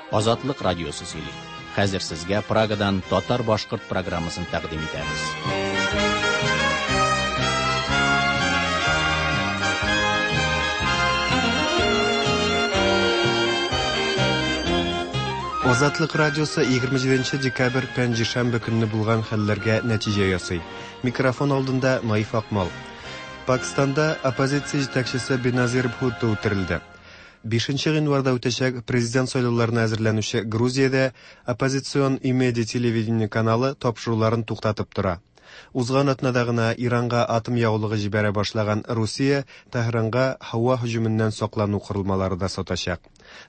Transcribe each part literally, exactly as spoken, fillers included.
Азатлык радиосы сөйли. Хәзер сезгә Прагадан татар-башкорт программасын тәкъдим итәбез. Азатлык радиосы егерме җиденче декабрь пәнҗешәмбе көнне булган хәлләргә нәтиҗә ясый. Микрофон алдында Наиф Акмал. Пакистанда оппозиция җитәкчесе Беназир Бхутто үтерелде. Бишенче гыйнварда үтәчәк президент сайлауларына әзерләнүче Грузиядә оппозицион Имеди телевидение каналы тапшыруларын туктатып тора. Узган атнада гына Иранга атом ягулыгы җибәрә башлаган Русия Тәһранга һава һөҗүменнән саклану корылмалары да сатачак.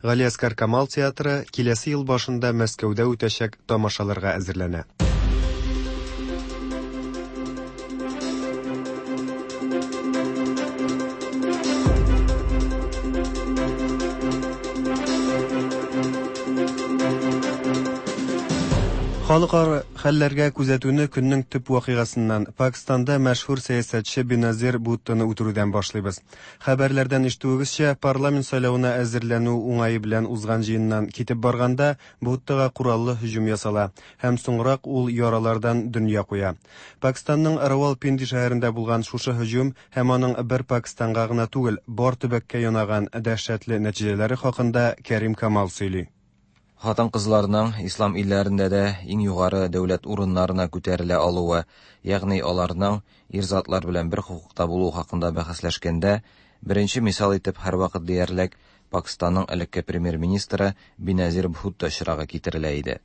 Галиәсгар Камал театры киләсе ел башында Мәскәүдә үтәчәк тамашаларга әзерләнә. Халыкара хәлләргә күзәтүне көннең төп вакыйгасыннан Пакистанда мәшһүр сәясәтче Беназир Бхуттоны үтерүдән башлыйбыз. Хәбәрләрдән ишетүегезчә, парламент сайлавына әзерләнү уңае белән узган җыеннан китеп барганда Бхуттога кораллы һөҗүм ясала һәм соңрак ул яралардан дөнья куя. Пакистанның Равалпинди шәһәрендә булган шушы һөҗүм һәм аның бер Пакистанга гына түгел, бар төбәккә янаган дәһшәтле нәтиҗәләре хакында Кәрим Камал сөйли. Хатын-кызларның ислам илләрендә дә иң югары дәүләт урыннарына күтәрелә алуы, ягъни аларның ир затлар белән бер хокукта булуы хакында бәхәсләшкәндә, беренче мисал итеп һәрвакыт диярлек Пакистанның элекке премьер-министры Беназир Бхутто очрагы китерелә иде.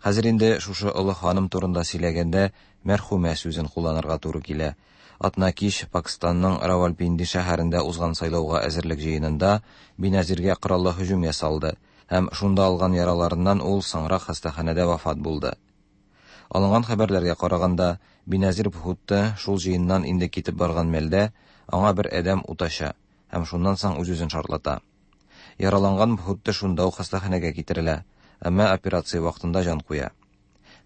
Хәзер инде шушы олы ханым турында сөйләгәндә мәрхүмә сүзен кулланырга туры килә. Атна кич Пакистанның Равалпинди шәһәрендә узган сайлауга әзерлек җыенында Беназиргә кораллы һөҗүм ясалды. Һәм шунда алган яраларыннан ул соңрак хастаханәдә вафат булды. Алынган хәбәрләргә караганда, Беназир Бхутто шул җыеннан инде китеп барган мәлдә аңа бер адәм ут ача һәм шуннан соң үз-үзен шартлата. Яраланган Бхутто шунда ук хастаханәгә китерелә, әмма операция вакытында җан куя.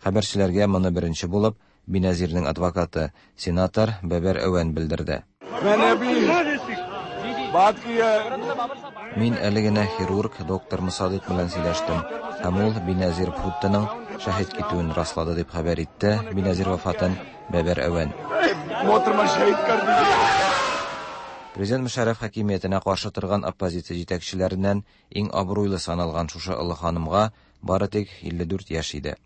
Хәбәрчеләргә моны беренче булып Беназирның адвокаты, сенатор Бәбәр Әвән белдерде. Мин әле генә хирург доктор Мусадык белән сөйләштем, һәм ул Беназир Бхуттоның шәһит китүен раслады дип хәбәр итте Беназир вафатын Бәбәр Әвән. Президент Мөшәррәф хакимиятенә каршы торган оппозиция җитәкчеләреннән иң абруйлы саналган шушы олы ханымга бары тик илле дүрт яшь иде.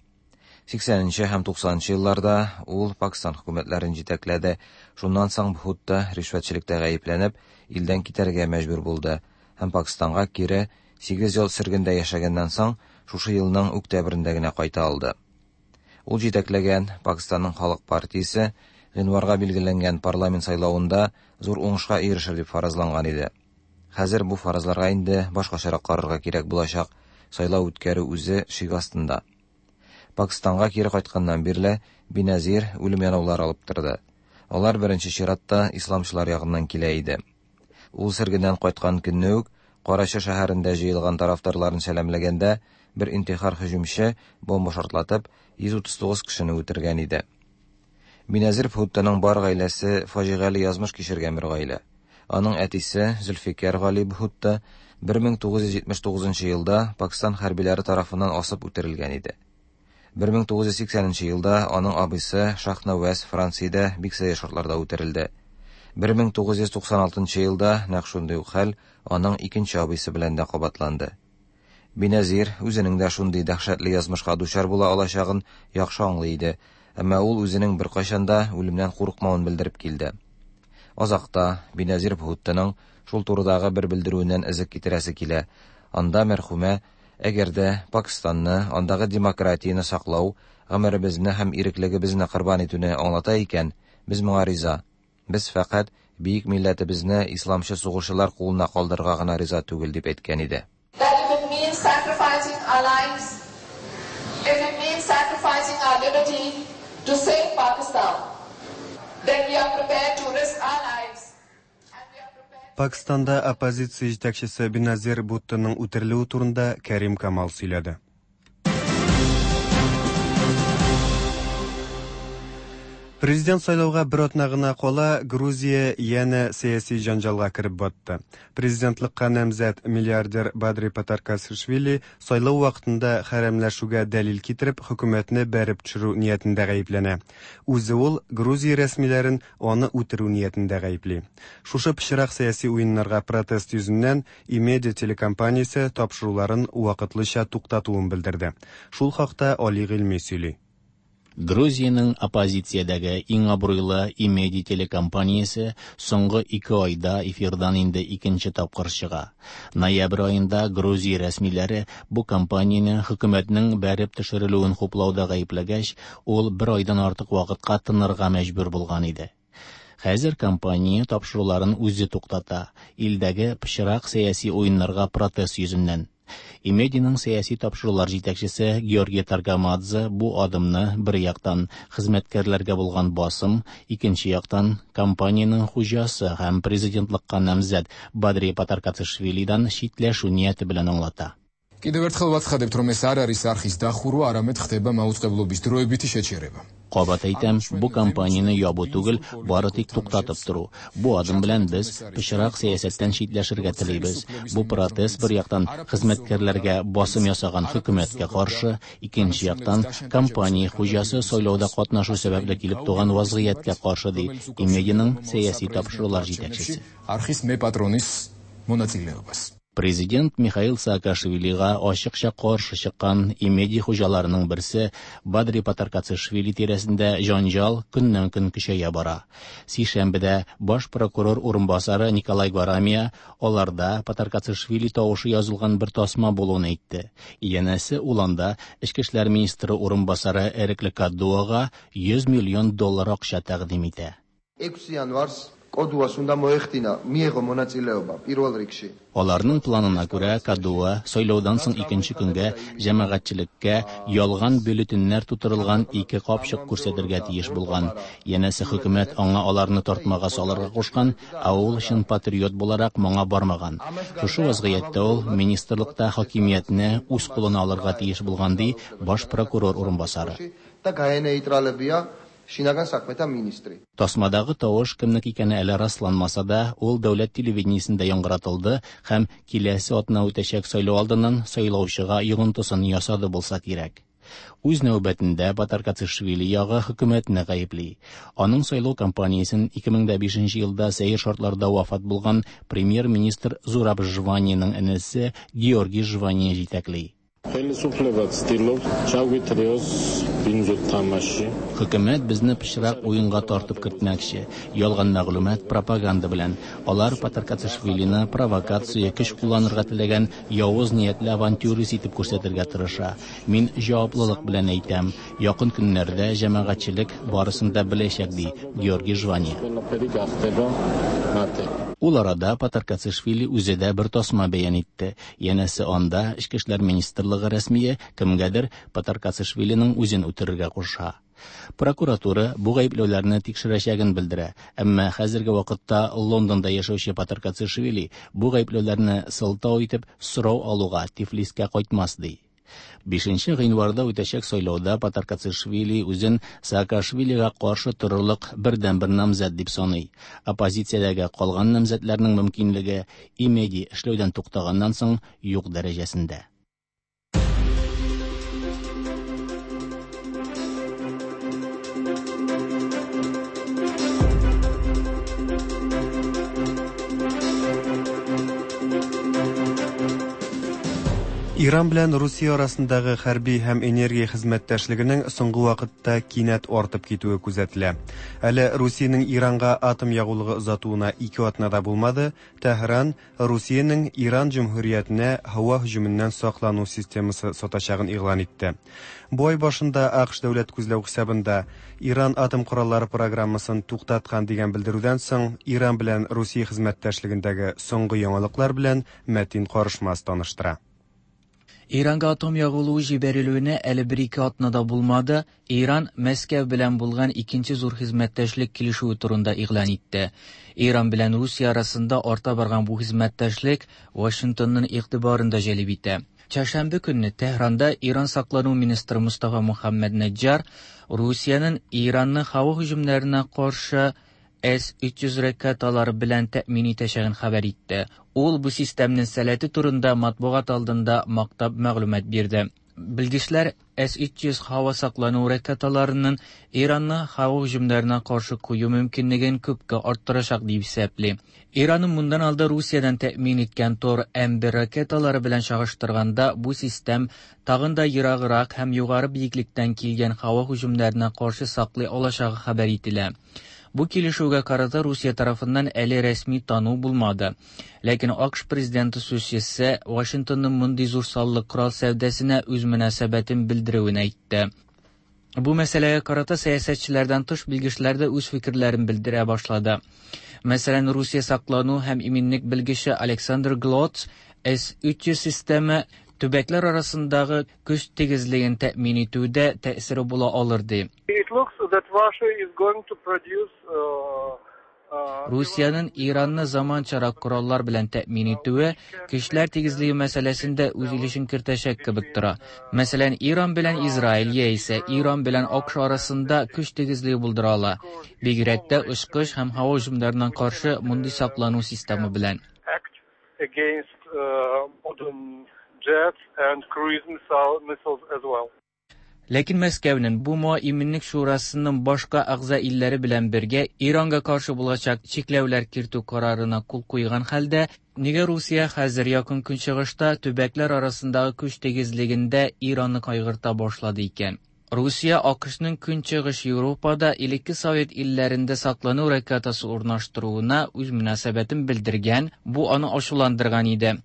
Сиксәненче һәм туксанынчы елларда ул Пакистан хөкүмәтләрен җитәкләде. Шуннан соң Бхутто ришвәтчелектә гаепләнеп, илдән китәргә мәҗбүр булды һәм Пакистанга кире сигез ел сөргендә яшәгәннән соң шушы елның октябрендә генә кайта алды. Ул җитәкләгән Пакистанның Халык партиясе гыйнварга билгеләнгән парламент сайлавында зур уңышка ирешер дип фаразланган иде. Хәзер бу фаразларга инде башкачарак карарга кирәк булачак. Сайлау үткәрү үзе шик астында. Пакистанга кире кайтканнан бирле Беназир үлем янаулары алып торды. Алар беренче чиратта исламчылар ягыннан килә иде. Ул сөргеннән кайткан көнне үк Карачы шәһәрендә җыелган тарафдарларын сәламләгәндә бер интихар һөҗүмче бомба шартлатып йөз утыз тугыз кешене үтергән иде. Беназир Бхуттоның бар гаиләсе фаҗигале язмыш кичергән бер гаилә. Аның әтисе Зөлфикәр Гали Бхутто бер мең тугыз йөз җитмеш тугызынчы елда Пакистан хәрбиләре тарафыннан асып үтерелгән иде. Бер мең тугыз йөз сиксәненче елда аның абыйсы Шахнаваз Франциядә бик сәер шартларда үтерелде. Бер мең тугыз йөз туксан алтынчы елда нәкъ шундый ук хәл аның икенче абыйсы белән дә кабатланды. Беназир үзенең дә шундый дәһшәтле язмышка дучар була алачагын яхшы аңлый иде, әмма ул үзенең беркайчан да үлемнән курыкмавын белдереп килде. Азакта Беназир Бхуттоның шул турыдагы бер белдерүеннән эзек китерәсе килә. Анда мәрхүмә әгәр дә Пакистанны, андагы демократияне саклау, гомеребезне һәм иреклегебезне корбан итүне аңлата икән, без моңа риза. Без фәкать бөек милләтебезне исламчы сугышчылар кулына калдырырга гына риза түгел дип әйткән иде. That if it means sacrificing our lives, if it means sacrificing our liberty to save Pakistan, then we are prepared to risk our lives. Пакистанда оппозиция җитәкчесе Беназир Бхуттоның үтерелүе турында Кәрим Камал сөйләде. Президент сайлауга бер атна гына кала, Грузия янә сәяси җанҗалга кереп батты. Президентлыкка намзәт миллиардер Бадри Патаркацишвили сайлау вакытында хәрәмләшүгә дәлил китереп, хөкүмәтне бәреп төшерү ниятендә гаепләнә. Үзе ул Грузия рәсмиләрен аны үтерү ниятендә гаепли. Шушы пычрак сәяси уеннарга протест йөзеннән Имеди телекомпаниясе тапшыруларын вакытлыча туктатуын белдерде. Шул хакта Али Гыйльми сөйли. Грузиянең оппозициядәге иң абруйлы Имеди телекомпаниясе соңгы ике айда эфирдан инде икенче тапкыр чыга. Ноябрь аенда Грузия рәсмиләре бу компанияне хөкүмәтнең бәреп төшерелүен хуплауда гаепләгәч, ул бер айдан артык вакытка тынырга мәҗбүр булган иде. Хәзер компания тапшыруларын үзе туктата, илдәге пычрак сәяси уеннарга протест йөзеннән. Имединың сәяси тапшырулар җитәкчесе Георгий Таргамадзе бу адымны бер яктан хезмәткәрләргә булган басым, икенче яктан компаниянең хуҗасы һәм президентлыкка намзәт Бадри Патаркацишвилидан читләшү нияте белән аңлата. Კიდევ ერთხელ ვაცხადებთ, რომ ეს არ არის არხის დახურვა, არამედ ხდება მაუწყებლობის დროებითი შეჩერება. Кабат әйтәм, бу компанияне ябу түгел, бары тик туктатып тору. Бу адым белән без пычрак сәясәттән читләшергә телибез. Бу протест бер яктан хезмәткәрләргә басым ясаган хөкүмәткә каршы, икенче яктан компания хуҗасы сайлауда катнашу сәбәпле килеп туган вазгыятькә каршы, ди Имединың сәяси тапшырулар җитәкчесе. Არხის მეპატრონის მონაწილეობას. Президент Михаил Саакашвилига ачыкча каршы чыккан Имеди хуҗаларының берсе Бадри Патаркацишвили тирәсендә җанҗал көннән-көн көчәя бара. Сишәмбедә баш прокурор урынбасары Николай Гварамия аларда Патаркацишвили тавышы язылган бер тасма булуын әйтте. Янәсе ул анда Эчке эшләр министры урынбасары Эрекле Кадуага йөз миллион доллар акча тәкъдим итә. ექვსი იანვარს კოდუას უნდა მოეხდინა, მიეღო მონაწილეობა პირველ რიგში. Аларның планына күрә, Кадуа сайлаудан соң икенче көнгә җәмәгатьчелеккә ялган бюллетеньнәр тутырылган ике капчык күрсәтергә тиеш булган. Янәсе хөкүмәт аңа аларны тартмага салырга кушкан, ә ул чын патриот буларак моңа бармаган. Шушы вазгыятьтә ул министрлыкта хакимиятне үз кулына алырга тиеш булган, ди баш прокурор урынбасары. და გაენეიტრალებია შინაგან საქმეთა მინისტრი. Тасмадагы тавыш кемнеке икәне әле расланмаса да, ул дәүләт телевидениесендә яңгыратылды һәм киләсе атна үтәчәк сайлау алдыннан сайлаучыга йогынтысын ясады булса кирәк. Үз нәүбәтендә Патаркацишвили ягы хөкүмәтне гаепли. Аның сайлау кампаниясен ике мең дә бишенче елда сәер шартларда вафат булган премьер-министр Зураб Жваниянең энесе Георгий Жвания җитәкли. ხელისუფლება ცდილობს ჩაგვითრიოს ბინძო თამაში. Хөкүмәт безне пычрак уенга тартып кертмәкче. Ялган мәгълүмат пропаганда белән. Алар Патаркацишвилины провокация, көч кулланырга теләгән явыз ниятле авантюрист итеп күрсәтергә тырыша. Мин җаваплылык белән әйтәм, якын көннәрдә җәмәгатьчелек барысын да беләчәк, ди Георгий Жвания. ყველაფერი გახდება მათე. Ул арада Патаркацишвили үзе дә бер тасма бәян итте. Янәсе анда Эчке эшләр министрлыгы рәсмие кемгәдер Патаркацишвилиның үзен үтерергә куша. Прокуратура бу гаепләүләрне тикшерәчәген белдерә. Әмма хәзерге вакытта Лондонда яшәүче Патаркацишвили бу гаепләүләрне сылтау итеп сорау алуга Тифлискә кайтмас, ди. Бишенче гыйнварда үтәчәк сайлауда Патаркацишвили үзен Саакашвилига каршы торырлык бердәнбер намзәт дип саный. Оппозициядәге калган намзәтләрнең мөмкинлеге Имеди эшләүдән туктаганнан соң юк дәрәҗәсендә. Иран белән Русия арасындагы хәрби һәм энергия хезмәттәшлегенең соңгы вакытта кинәт артып китүе күзәтелә. Әле Русиянең Иранга атом ягулыгы озатуына ике атна да булмады, Тәһран Русиянең Иран җөмһүриятенә һава һөҗүменнән саклану системасы сатачагын игълан итте. Бу ай башында АКШ дәүләт күзләү хисабында Иран атом кораллары программасын туктаткан дигән белдерүдән соң Иран белән Русия хезмәттәшлегендәге соңгы яңалыклар белән Мәтин Карышмас таныштыра. Иранга атом ягулыгы җибәрелүенә әле бер-ике атна да булмады, Иран Мәскәү белән булган икенче зур хезмәттәшлек килешүе турында игълан итте. Иран белән Русия арасында арта барган бу хезмәттәшлек Вашингтонның игътибарын да җәлеп итә. Чәршәмбе көнне Тәһранда Иран саклану министры Мустафа Мухаммад Наджар Русиянең Иранны һава һөҗүмнәренә каршы С өч йөз ракеталары белән тәэмин итәчәген хәбәр итте. Ул бу системның сәләте турында матбугат алдында мактап мәгълүмат бирде. Белгечләр С өч йөз һава саклану ракеталарының Иранны һава һөҗүмнәренә каршы кую мөмкинлеген күпкә арттырачак дип исәпли. Иранның моннан алда Русиядән тәэмин иткән Тор М бер ракеталары белән чагыштырганда бу систем тагын да ераграк һәм югары биеклектән килгән һава һөҗүмнәренә каршы саклый алачагы хәбәр ителә. Бу килешүгә карата Русия тарафыннан әле рәсми тану булмады. Ләкин АКШ президенты сүзчесе Вашингтонның мондый зур саллы корал сәүдәсенә үз мөнәсәбәтен белдерүен әйтте. Бу мәсьәләгә карата сәясәтчеләрдән тыш белгечләр дә үз фикерләрен белдерә башлады. Мәсәлән, Русия саклану һәм иминлек белгече Александр Глотс С өч йөз системы төбәкләр арасындагы көч тигезлеген тәэмин итүдә тәэсире була алыр ди. It looks that Russia is going to produce, uh, uh, Русиянең Иранны заманчарак кораллар белән тәэмин итүе көчләр тигезлеге мәсьәләсендә үз өлешен кертәчәк кебек тора. Мәсәлән, Иран белән Израиль яисә Иран белән АКШ арасында көч тигезлеге булдыра ала. Бигрәк тә очкыч һәм һава һөҗүмнәренә каршы мондый саклану системы белән. Act against, uh, modern jets and cruise missile, missiles as well. Ләкин Мәскәүнең БУМО Иминлек Шурасының башка әгъза илләре белән бергә Иранга каршы булачак чикләүләр кертү карарына кул куйган хәлдә, нигә Русия хәзер якын көнчыгышта төбәкләр арасындагы көч тигезлегендә Иранны кайгырта башлады икән? Русия АКШның Көнчыгыш Европада элекке Совет илләрендә саклану ракетасы урнаштыруына үз мөнәсәбәтен белдергән, бу аны ачуландырган иде.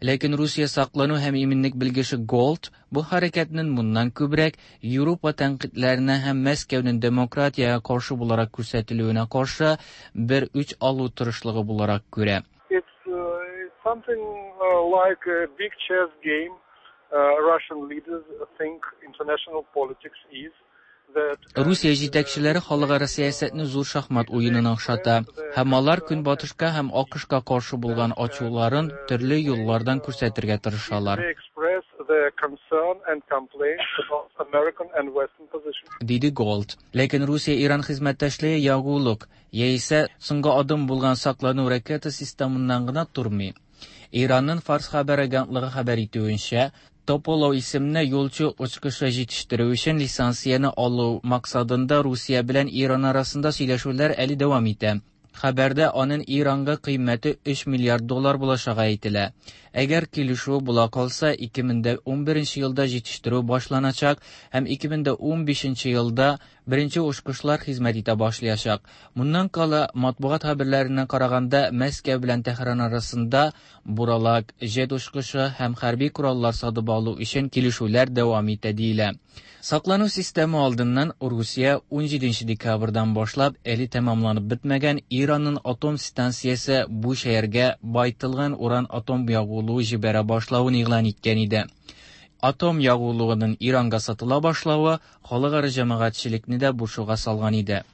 Ләкин Русия саклану һәм иминлек белгече Голд бу хәрәкәтнең моннан күбрәк Европа тәнкыйтьләренә һәм Мәскәүнең демократиягә каршы буларак күрсәтелүенә каршы бер үч алу тырышлыгы буларак күрә. It's, uh, it's something, uh, like a big chess game. Uh, Russian leaders think international politics is. Русия җитәкчеләре халыкара сәясәтне зур шахмат уенына охшата һәм алар Көнбатышка һәм АКШка каршы булган ачуларын төрле юллардан күрсәтергә тырышалар. Диде Голд. Ләкин Русия-Иран хезмәттәшлеге ягулык яисә соңгы адым булган саклану ракета системыннан гына тормый. Иранның Фарс хәбәр агентлыгы хәбәр итүенчә, Тополов исемле юлчы очкычы җитештерү өчен лицензияне алу максатында Русия белән Иран арасында сөйләшүләр әле дәвам итә. Хәбәрдә аның Иранга кыйммәте өч миллиард доллар булачагы әйтелә. Әгәр килешү була калса, ике мең дә унберенче елда җитештерү башланачак һәм ике мең дә унбишенче елда беренче очкычлар хезмәт итә башлаячак. Моннан кала, матбугат хәбәрләренә караганда, Мәскәү белән Тәһран арасында буралак, җет очкычы һәм хәрби кораллар сатып алу өчен килешүләр дәвам итә диелә. Саклану системы алдыннан Русия унҗиденче декабрьдан башлап әле тәмамланып бетмәгән Иранның атом станциясе бу шәһәргә байтылган уран атом ягулыгы җибәрә башлавын игълан иткән иде. Атом ягулыгының Иранга сатыла башлавы халыкара җәмәгатьчелекне дә борчуга салган иде.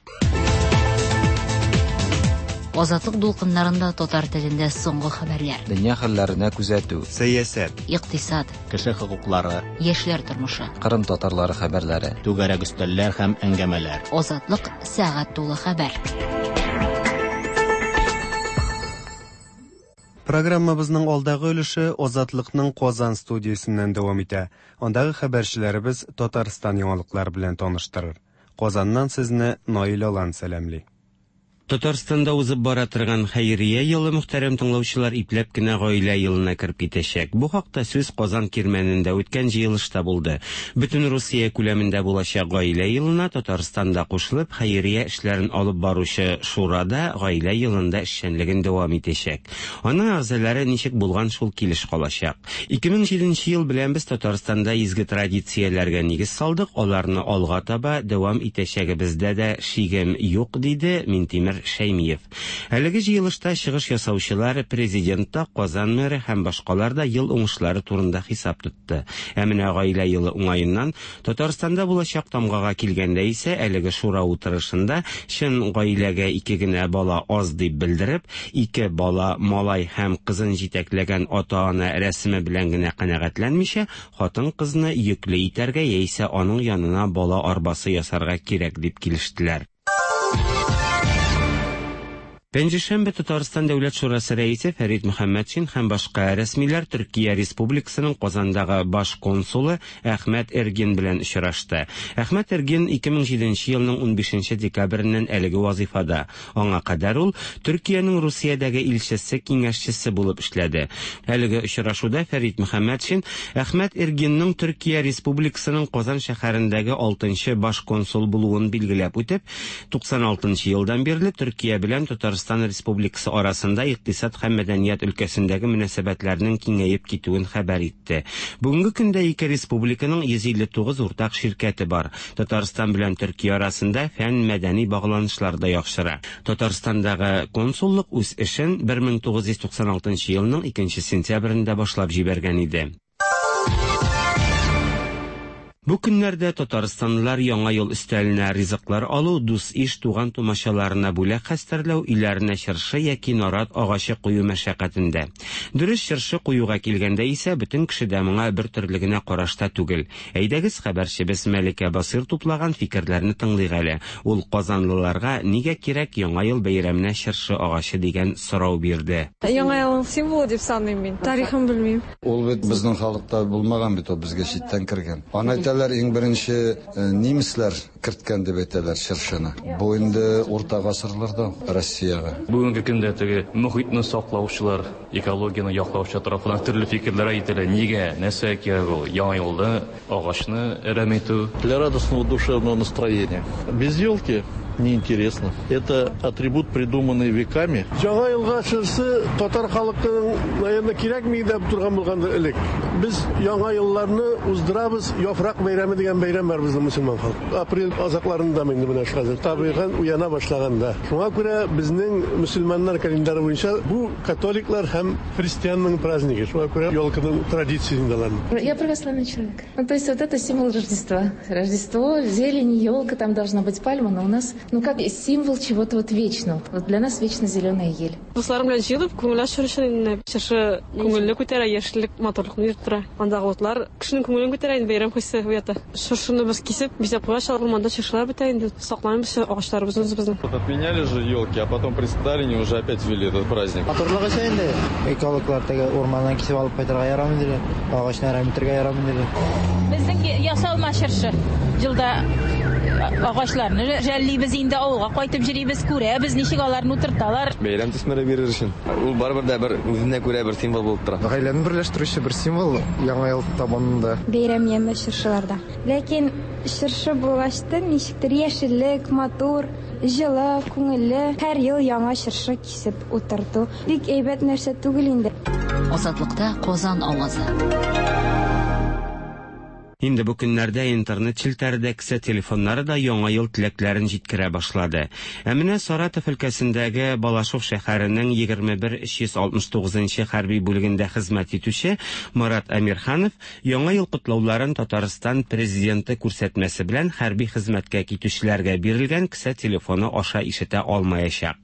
Азатлык дулкыннарында татар телендә соңгы хәбәрләр. Дөнья хәлләренә күзәтү. Сәясәт. Икътисад. Кеше хокуклары. Яшьләр тормышы. Кырым татарлары хәбәрләре. Түгәрәк өстәлләр һәм әңгәмәләр. Азатлык сәгать тулы хәбәр. Программабызның алдагы өлеше Азатлыкның Казан студиясеннән дәвам итә. Андагы хәбәрчеләребез Татарстан яңалыклары белән таныштырыр. Казаннан сезне Наил Алан сәламли. Татарстанда узып бара торган хәйрия елы мөхтәрәм тыңлаучылар ипләп кенә гаилә елына кереп китәчәк. Бу хакта сүз Казан Кирмәнендә үткән җыелышта булды. Бөтен Русия күләмендә булачак гаилә елына Татарстанда кушылып хәйрия эшләрен алып баручы шурада гаилә елында эшчәнлеген дәвам итәчәк. Аның әгъзалары ничек булган шул килеш калачак. ике мең җиденче ел белән без Татарстанда изге традицияләргә нигез салдык, аларны алга таба дәвам итәчәгебездә дә шигем юк, диде Минтимер Минтимер Шәймиев. Әлеге җыелышта чыгыш ясаучылар президент та, Казан мэры һәм башкалар да ел уңышлары турында хисап тотты. Ә менә гаилә елы уңаеннан Татарстанда булачак тамгага килгәндә исә әлеге шура утырышында чын гаиләгә ике генә бала аз дип белдереп, ике бала малай һәм кызын җитәкләгән ата-ана рәсеме белән генә канәгатьләнмичә, хатын-кызны йөкле итәргә яисә аның янына бала арбасы ясарга кирәк дип килештеләр. Пәнҗешәмбе Татарстан Дәүләт Шурасы рәисе Фәрит Мөхәммәтшин һәм башка рәсмиләр Төркия Республикасының Казандагы баш консулы Әхмәт Эргин белән очрашты. Әхмәт Эргин ике мең җиденче елның унбишенче декабреннән әлеге вазифада. Аңа кадәр ул Төркиянең Русиядәге илчесе киңәшчесе булып эшләде. Әлеге очрашуда Фәрит Мөхәммәтшин Әхмәт Эргинның Төркия Республикасының Казан шәһәрендәге алтынчы баш консул булуын билгеләп үтеп, туксан алтынчы елдан бирле Төркия белән Татарстан Республикасы арасында икътисад һәм мәдәният өлкәсендәге мөнәсәбәтләрнең киңәеп китүен хәбәр итте. Бүгенге көндә ике республиканың йөз илле тугыз уртак ширкәте бар. Татарстан белән Төркия арасында фән мәдәни багланышлар да яхшыра. Татарстандагы консуллык үз эшен бер мең тугыз йөз туксан алтынчы елның икенче сентябрендә башлап җибәргән иде. Бу көннәрдә татарстанлылар яңа ел өстәленә ризыклар алу, дус-иш туган тумачаларына бүләк хәстәрләү, өйләренә чыршы яки нарат агачы кую мәшәкатендә. Дөрес, чыршы куюга килгәндә исә бөтен кеше дә моңа бер төрле генә карашта түгел. Әйдәгез, хәбәрчебез Мәликә Басыр туплаган фикерләрне тыңлыйк әле. Ул казанлыларга нигә кирәк яңа ел бәйрәменә чыршы агачы дигән сорау бирде. Яңа елның символы дип саныйм мин. Тарихын белмим. Ул бит безнең халыкта булмаган бит, ул безгә читтән кергән. Аны әйтәләр, иң беренче немецлар керткән дип әйтәләр чыршыны. Бу инде урта гасырларда Россиягә. Бүгенге көндә теге мөхитне саклаучылар, экологияне яклаучылар тарафыннан төрле фикерләр әйтелә. Нигә, нәрсә кирәк ул? Яңа елда агачны әрәм итү. Для радостного душевного настроения. Без елки неинтересно. Это атрибут, придуманный веками. Яңа елга чыршы татар халкының, наверное, кирәкми дип торган булгандыр элек. Без яңа елларны уздырабыз, яфрак бәйрәме дигән бәйрәм бар безнең мөселман халкы. Апрель азакларында инде менә хәзер табигать уяна башлаганда. Шуңа күрә безнең мөселманнар календары буенча бу католиклар һәм христианның праздники. Шуңа күрә елканың традициясендә алар. Я православный человек. Ну, то есть вот это символ Рождества. Рождество, зелень, елка, там должна быть пальма, но у нас, ну, как символ чего-то вот вечного. Вот для нас вечно зеленая ель. Дусларым белән җыелып, күңел ачу өчен инде чыршы күңелле күтәрә, яшеллек, матурлыкны биреп тора. Андагы утлар кешенең күңелен күтәрә инде, бәйрәм хисе уята. Чыршыны без кисеп, бизәп куя, урманда чыршылар бетә инде. Сакланып агачларыбызны үзебезнең. Вот отменяли же елки, а потом при Сталине уже опять ввели этот праздник. Матурлык өчен инде. Экологлар теге урманнан кисеп алып кайтырга ярамый диде. Агачны әрәм итәргә ярамый диде. Безнең ясалма чыршы елда агачларны жәллибез инде, авылга кайтып йөрибез, күрәбез, ничек аларны утырталар. Бәйрәм төсмере бирер өчен. Ул барыбер дә бер үзенә күрә бер символ булып тора. Гаиләне берләштерүче бер символ яңа ел табынында. Бәйрәм яме чыршыларда. Ләкин чыршы булгачтын ничектер яшеллек, матур, җылы, күңелле. Һәр ел яңа чыршы кисеп утырту бик әйбәт нәрсә түгел инде. Азатлыкта Казан авазы. Инде бу көннәрдә интернет челтәре дә, кесә телефоннары да яңа ел теләкләрен җиткерә башлады. Ә менә Саратов өлкәсендәге Балашов шәһәренең егерме бер өч йөз алтмыш тугызынчы хәрби бүлегендә хезмәт итүче Марат Әмирханов яңа ел котлауларын Татарстан президенты күрсәтмәсе белән хәрби хезмәткә китүчеләргә бирелгән кесә телефоны аша ишетә алмаячак.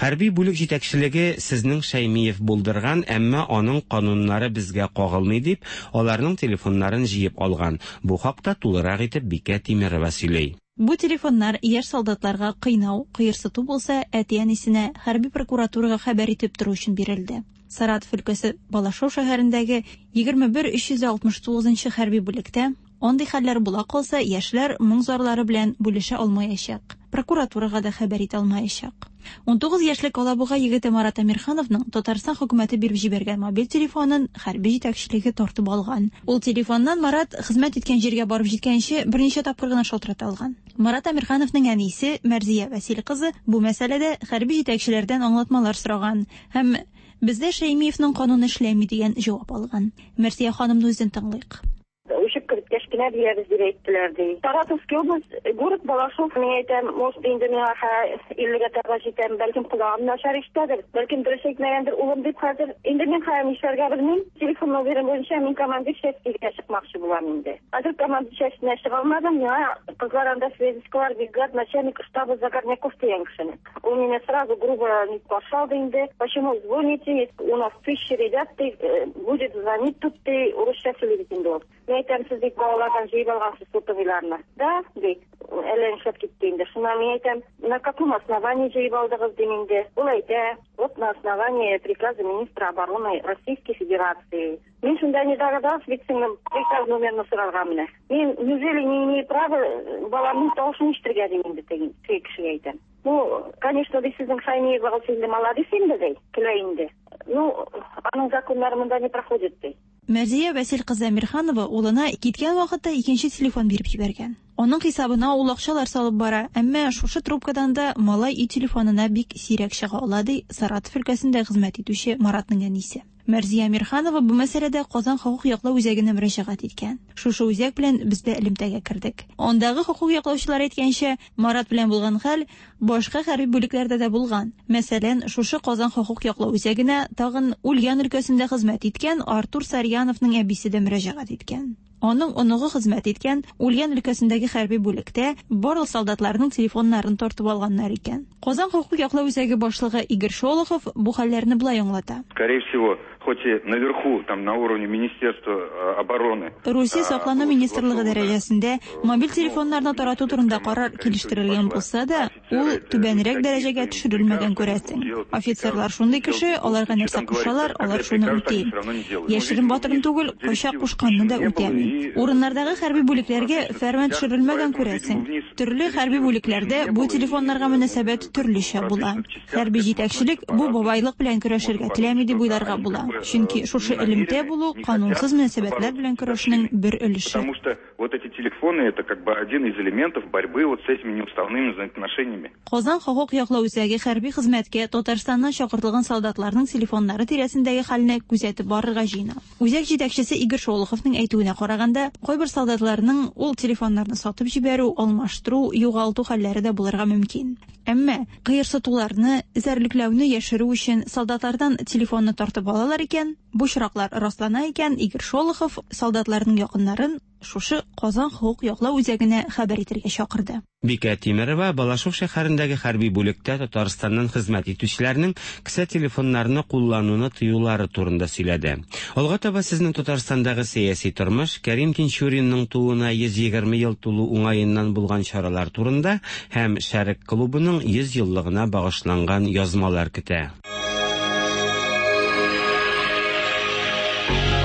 Хәрби бүлек җитәкчелеге сезнең Шәймиев булдырган, әмма аның кануннары безгә кагылмый дип, аларның телефоннарын җыеп алган. Бу хакта тулырак итеп Бикә Тимирова сөйли. Бу телефоннар яшь солдатларга кыйнау, кыерсыту булса, әти-әнисенә хәрби прокуратурага хәбәр итеп тору өчен бирелде. Саратов өлкәсе Балашов шәһәрендәге егерме бер өч йөз алтмыш тугызынчы хәрби бүлектә андый хәлләр була калса, яшьләр моң зарлары белән бүлешә алмаячак. Прокуратурага да хәбәр итә алмаячак. Унтугыз яшьлек Алабуга егете Марат Әмирхановның Татарстан хөкүмәте биреп җибәргән мобиль телефонын хәрби җитәкчелеге тартып алган. Ул телефоннан Марат хезмәт иткән җиргә барып җиткәнче берничә тапкыр гына шалтырата алган. Марат Әмирхановның әнисе Мәрзия Вәсил кызы бу мәсьәләдә хәрби җитәкчеләрдән аңлатмалар сораган һәм бездә Шәймиевның кануны эшләми дигән җавап алган. Мәрзия ханымны үзен тыңлыйк. Үчеп кереп беткәч кенә бирәбез дип әйттеләр, ди. Саратовский область, город Балашов, мин әйтәм, может, инде миңа иллегә таба җитәм, бәлкем колагым начар ишетәдер, бәлкем дөрес әйтмәгәндер улым дип хәзер. Инде мин хәзер нишләргә белмим. Телефон номеры буенча мин командир частька чыкмакчы булам инде. Хәзер командир частенә чыга алмадым, миңа кызлар анда связисткалар бригад начальник штаба Загорняков дигән кешене. Ул мине сразу грубо не пошел инде. Почему звоните? У нас тысячи ребят, ты будет звонить тут ты урысча сөйли бит инде ул. Мин әйтәм, сез бит балалардан җыеп алгансыз сотовыйларны. Да, ди. Әллә нишләп китте инде. Шуннан мин әйтәм, на каком основании җыеп алдыгыз дим инде. Ул әйтә, вот на основании приказа министра обороны Российской Федерации. Мин шунда не догадалась, бит сеңлем приказ номерын сорарга менә. Мин неужели не имею права баламның тавышын ишетергә дим инде теге кешегә әйтәм. Ну, конечно, ди сезнең Шаймиевагыз инде молодец инде ди, көлә инде. Ну, аның законнары монда не проходит ди. Мәрзия Вәсил кызы Әмирханова улына киткән вакытта икенче телефон биреп җибәргән. Аның хисабына ул акчалар салып бара, әмма шушы трубкадан да малай өй телефонына бик сирәк чыга ала, ди Саратов өлкәсендә хезмәт итүче Маратның әнисе. Мәрзия Әмирханова бу мәсьәләдә Казан хокук яклау үзәгенә мөрәҗәгать иткән. Шушы үзәк белән без дә элемтәгә кердек. Андагы хокук яклаучылар әйткәнчә, Марат белән булган хәл башка хәрби бүлекләрдә дә булган. Мәсәлән, шушы Казан хокук яклау үзәгенә тагын Ульян өлкәсендә хезмәт иткән Артур Сарьяновның әбисе дә мөрәҗәгать иткән. Аның оныгы хезмәт иткән Ульян өлкәсендәге хәрби бүлектә барлык солдатларның телефоннарын тартып алганнар икән. Казан хокук яклау үзәге башлыгы Игорь Шолохов бу хәлләрне болай аңлата. Скорее всего, хоть и наверху, там на уровне Министерства обороны. Русия саклану министрлыгы дәрәҗәсендә мобиль телефоннарны тарату турында карар килештерелгән булса да, ул түбәнрәк дәрәҗәгә төшерелмәгән күрәсең. Офицерлар шундый кеше, аларга нәрсә кушалар, алар шуны үти. Яшерен батырын түгел, кайчак кушканны да үтәми. Урыннардагы хәрби бүлекләргә фәрман төшерелмәгән күрәсең. Төрле хәрби бүлекләрдә бу телефоннарга мөнәсәбәт төрлечә була. Хәрби җитәкчелек бу бабайлык белән көрәшергә теләми дип уйларга була. Чөнки шушы элемтә булу канунсыз мөнәсәбәтләр белән көрәшнең бер өлеше. Потому что вот эти телефоны это как бы один из элементов борьбы вот с этими неуставными взаимоотношениями. Казан хокук яклау үзәге хәрби хезмәткә Татарстаннан чакыртылган солдатларның телефоннары тирәсендәге хәлне күзәтеп барырга җыена. Үзәк җитәкчесе Игорь Шолоховның әйтүенә караганда, кайбер солдатларның ул телефоннарны сатып җибәрү, алмаштыру, югалту хәлләре дә булырга мөмкин. Әмма кыерсытуларны, эзәрлекләүне яшерү өчен солдатлардан телефонны тартып алалар икән, бу очраклар раслана икән, Игорь Шолохов солдатларның якыннарын шушы Казан хокук яклау үзәгенә хәбәр итәргә чакырды. Бикә Тимерова Балашов шәһәрендәге хәрби бүлектә Татарстаннан хезмәт итүчеләрнең кесә телефоннарны куллануны тыюлары турында сөйләде. Алга таба сезнең Татарстандагы сәяси тормыш, Кәрим Тинчуринның тууына йөз егерме ел тулу уңаеннан булган чаралар турында һәм Шәрык клубының йөз еллыгына багышланган язмалар көтә.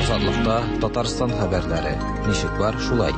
Азатлыкта Татарстан хәбәрләре. Ничек бар, шулай.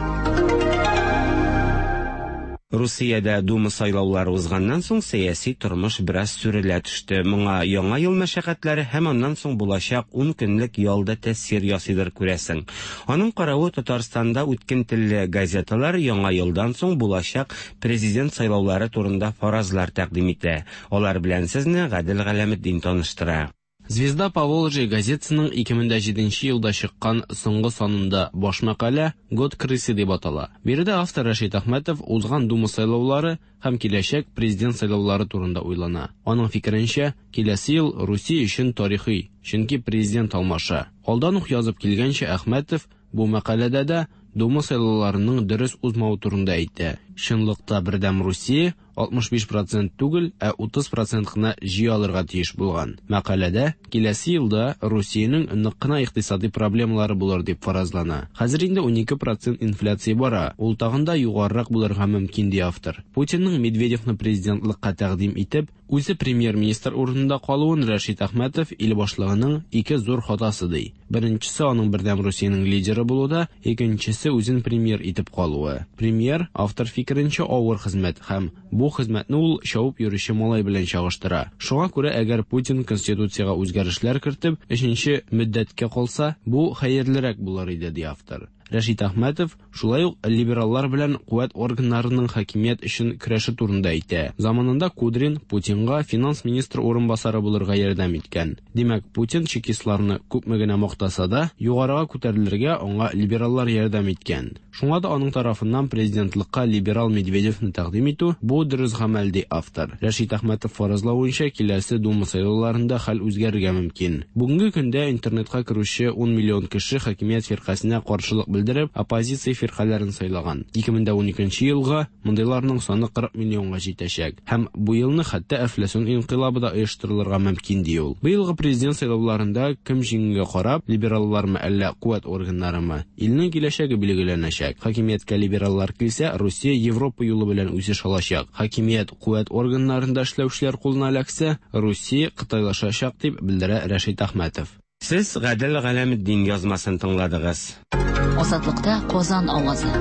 Русиядә Дума сайлаулары узганнан соң сәяси тормыш бераз сүрелә төште. Моңа яңа ел мәшәкатьләре һәм аннан соң булачак ун көнлек ялда тәэсир ясыйдыр күрәсең. Аның каравы Татарстанда үткен телле газеталар яңа елдан соң булачак президент сайлаулары турында фаразлар тәкъдим итә. Алар белән сезне Гадел Галәметдин таныштыра. Звезда Поволжья газетасының ике мең җиденче елда чыккан соңгы санында баш мәкалә «Год крысы» дип атала. Биредә автор Рәшит Әхмәтов узган Дума сайлаулары һәм киләчәк президент сайлаулары турында уйлана. Аның фикеренчә, киләсе ел Русия өчен тарихи, чөнки президент алмаша. Алдан ук язып килгәнчә, Әхмәтов бу мәкаләдә дә Дума сайлауларының дөрес узмавы турында әйтә. Чынлыкта Бердәм Русия алтмыш биш процент түгел, ә утыз процент кына җыя алырга тиеш булган. Мәкаләдә киләсе елда Русиянең нык кына икътисади проблемалары булыр дип фаразлана. Хәзер инде унике процент инфляция бара, ул тагын да югарырак булырга мөмкин ди автор. Путинның Медведевны президентлыкка тәкъдим итеп, үзе премьер-министр урынында калуын Рәшит Әхмәтов ил башлыгының ике зур хатасы ди. Беренчесе аның Бердәм Русиянең лидеры булуда, икенчесе үзен премьер итеп калуы. Премьер, автор фикеренчә, авыр хезмәт һәм бу хезмәтне ул чабып йөрүче малай белән чагыштыра. Шуңа күрә әгәр Путин конституциягә үзгәрешләр кертеп, өченче мөддәткә калса, бу хәерлерәк булыр иде, ди автор. Рәшит Әхмәтов шулай ук либераллар белән куәт органнарының хакимият өчен көрәше турында әйтә. Заманында Кудрин Путинга финанс министры урынбасары булырга ярдәм иткән. Димәк, Путин чекистларны күпме генә мактаса да, югарыга күтәрелергә аңа либераллар ярдәм иткән. Шуңа да аның тарафыннан президентлыкка либерал Медведевны тәкъдим итү бу дөрес гамәл, ди автор. Рәшит Әхмәтов фаразлавынча, киләсе Дума сайлауларында хәл үзгәрергә мөмкин. Бүгенге көндә интернетка керүче ун миллион кеше хакимият фиркасенә каршылык белдереп, оппозиция фиркаләрен сайлаган. ике мең дә уникенче елга мондыйларның саны кырык миллионга җитәчәк. Һәм бу елны хәтта әфләсун инкыйлабы да оештырылырга мөмкин, ди ул. Быелгы президент сайлауларында кем җиңүгә карап, либераллармы әллә куәт органнарымы, илнең киләчәге билгеләнәчәк. Хакимияткә либераллар килсә, Русия Европа юлы белән үсеш алачак. Хакимият куәт органнарында эшләүчеләр кулына эләксә, Русия кытайлашачак, дип белдерә Рәшит Әхмәтов. Сез Гадел Галәметдин язмасын тыңладыгыз. Азатлыкта Казан авазы.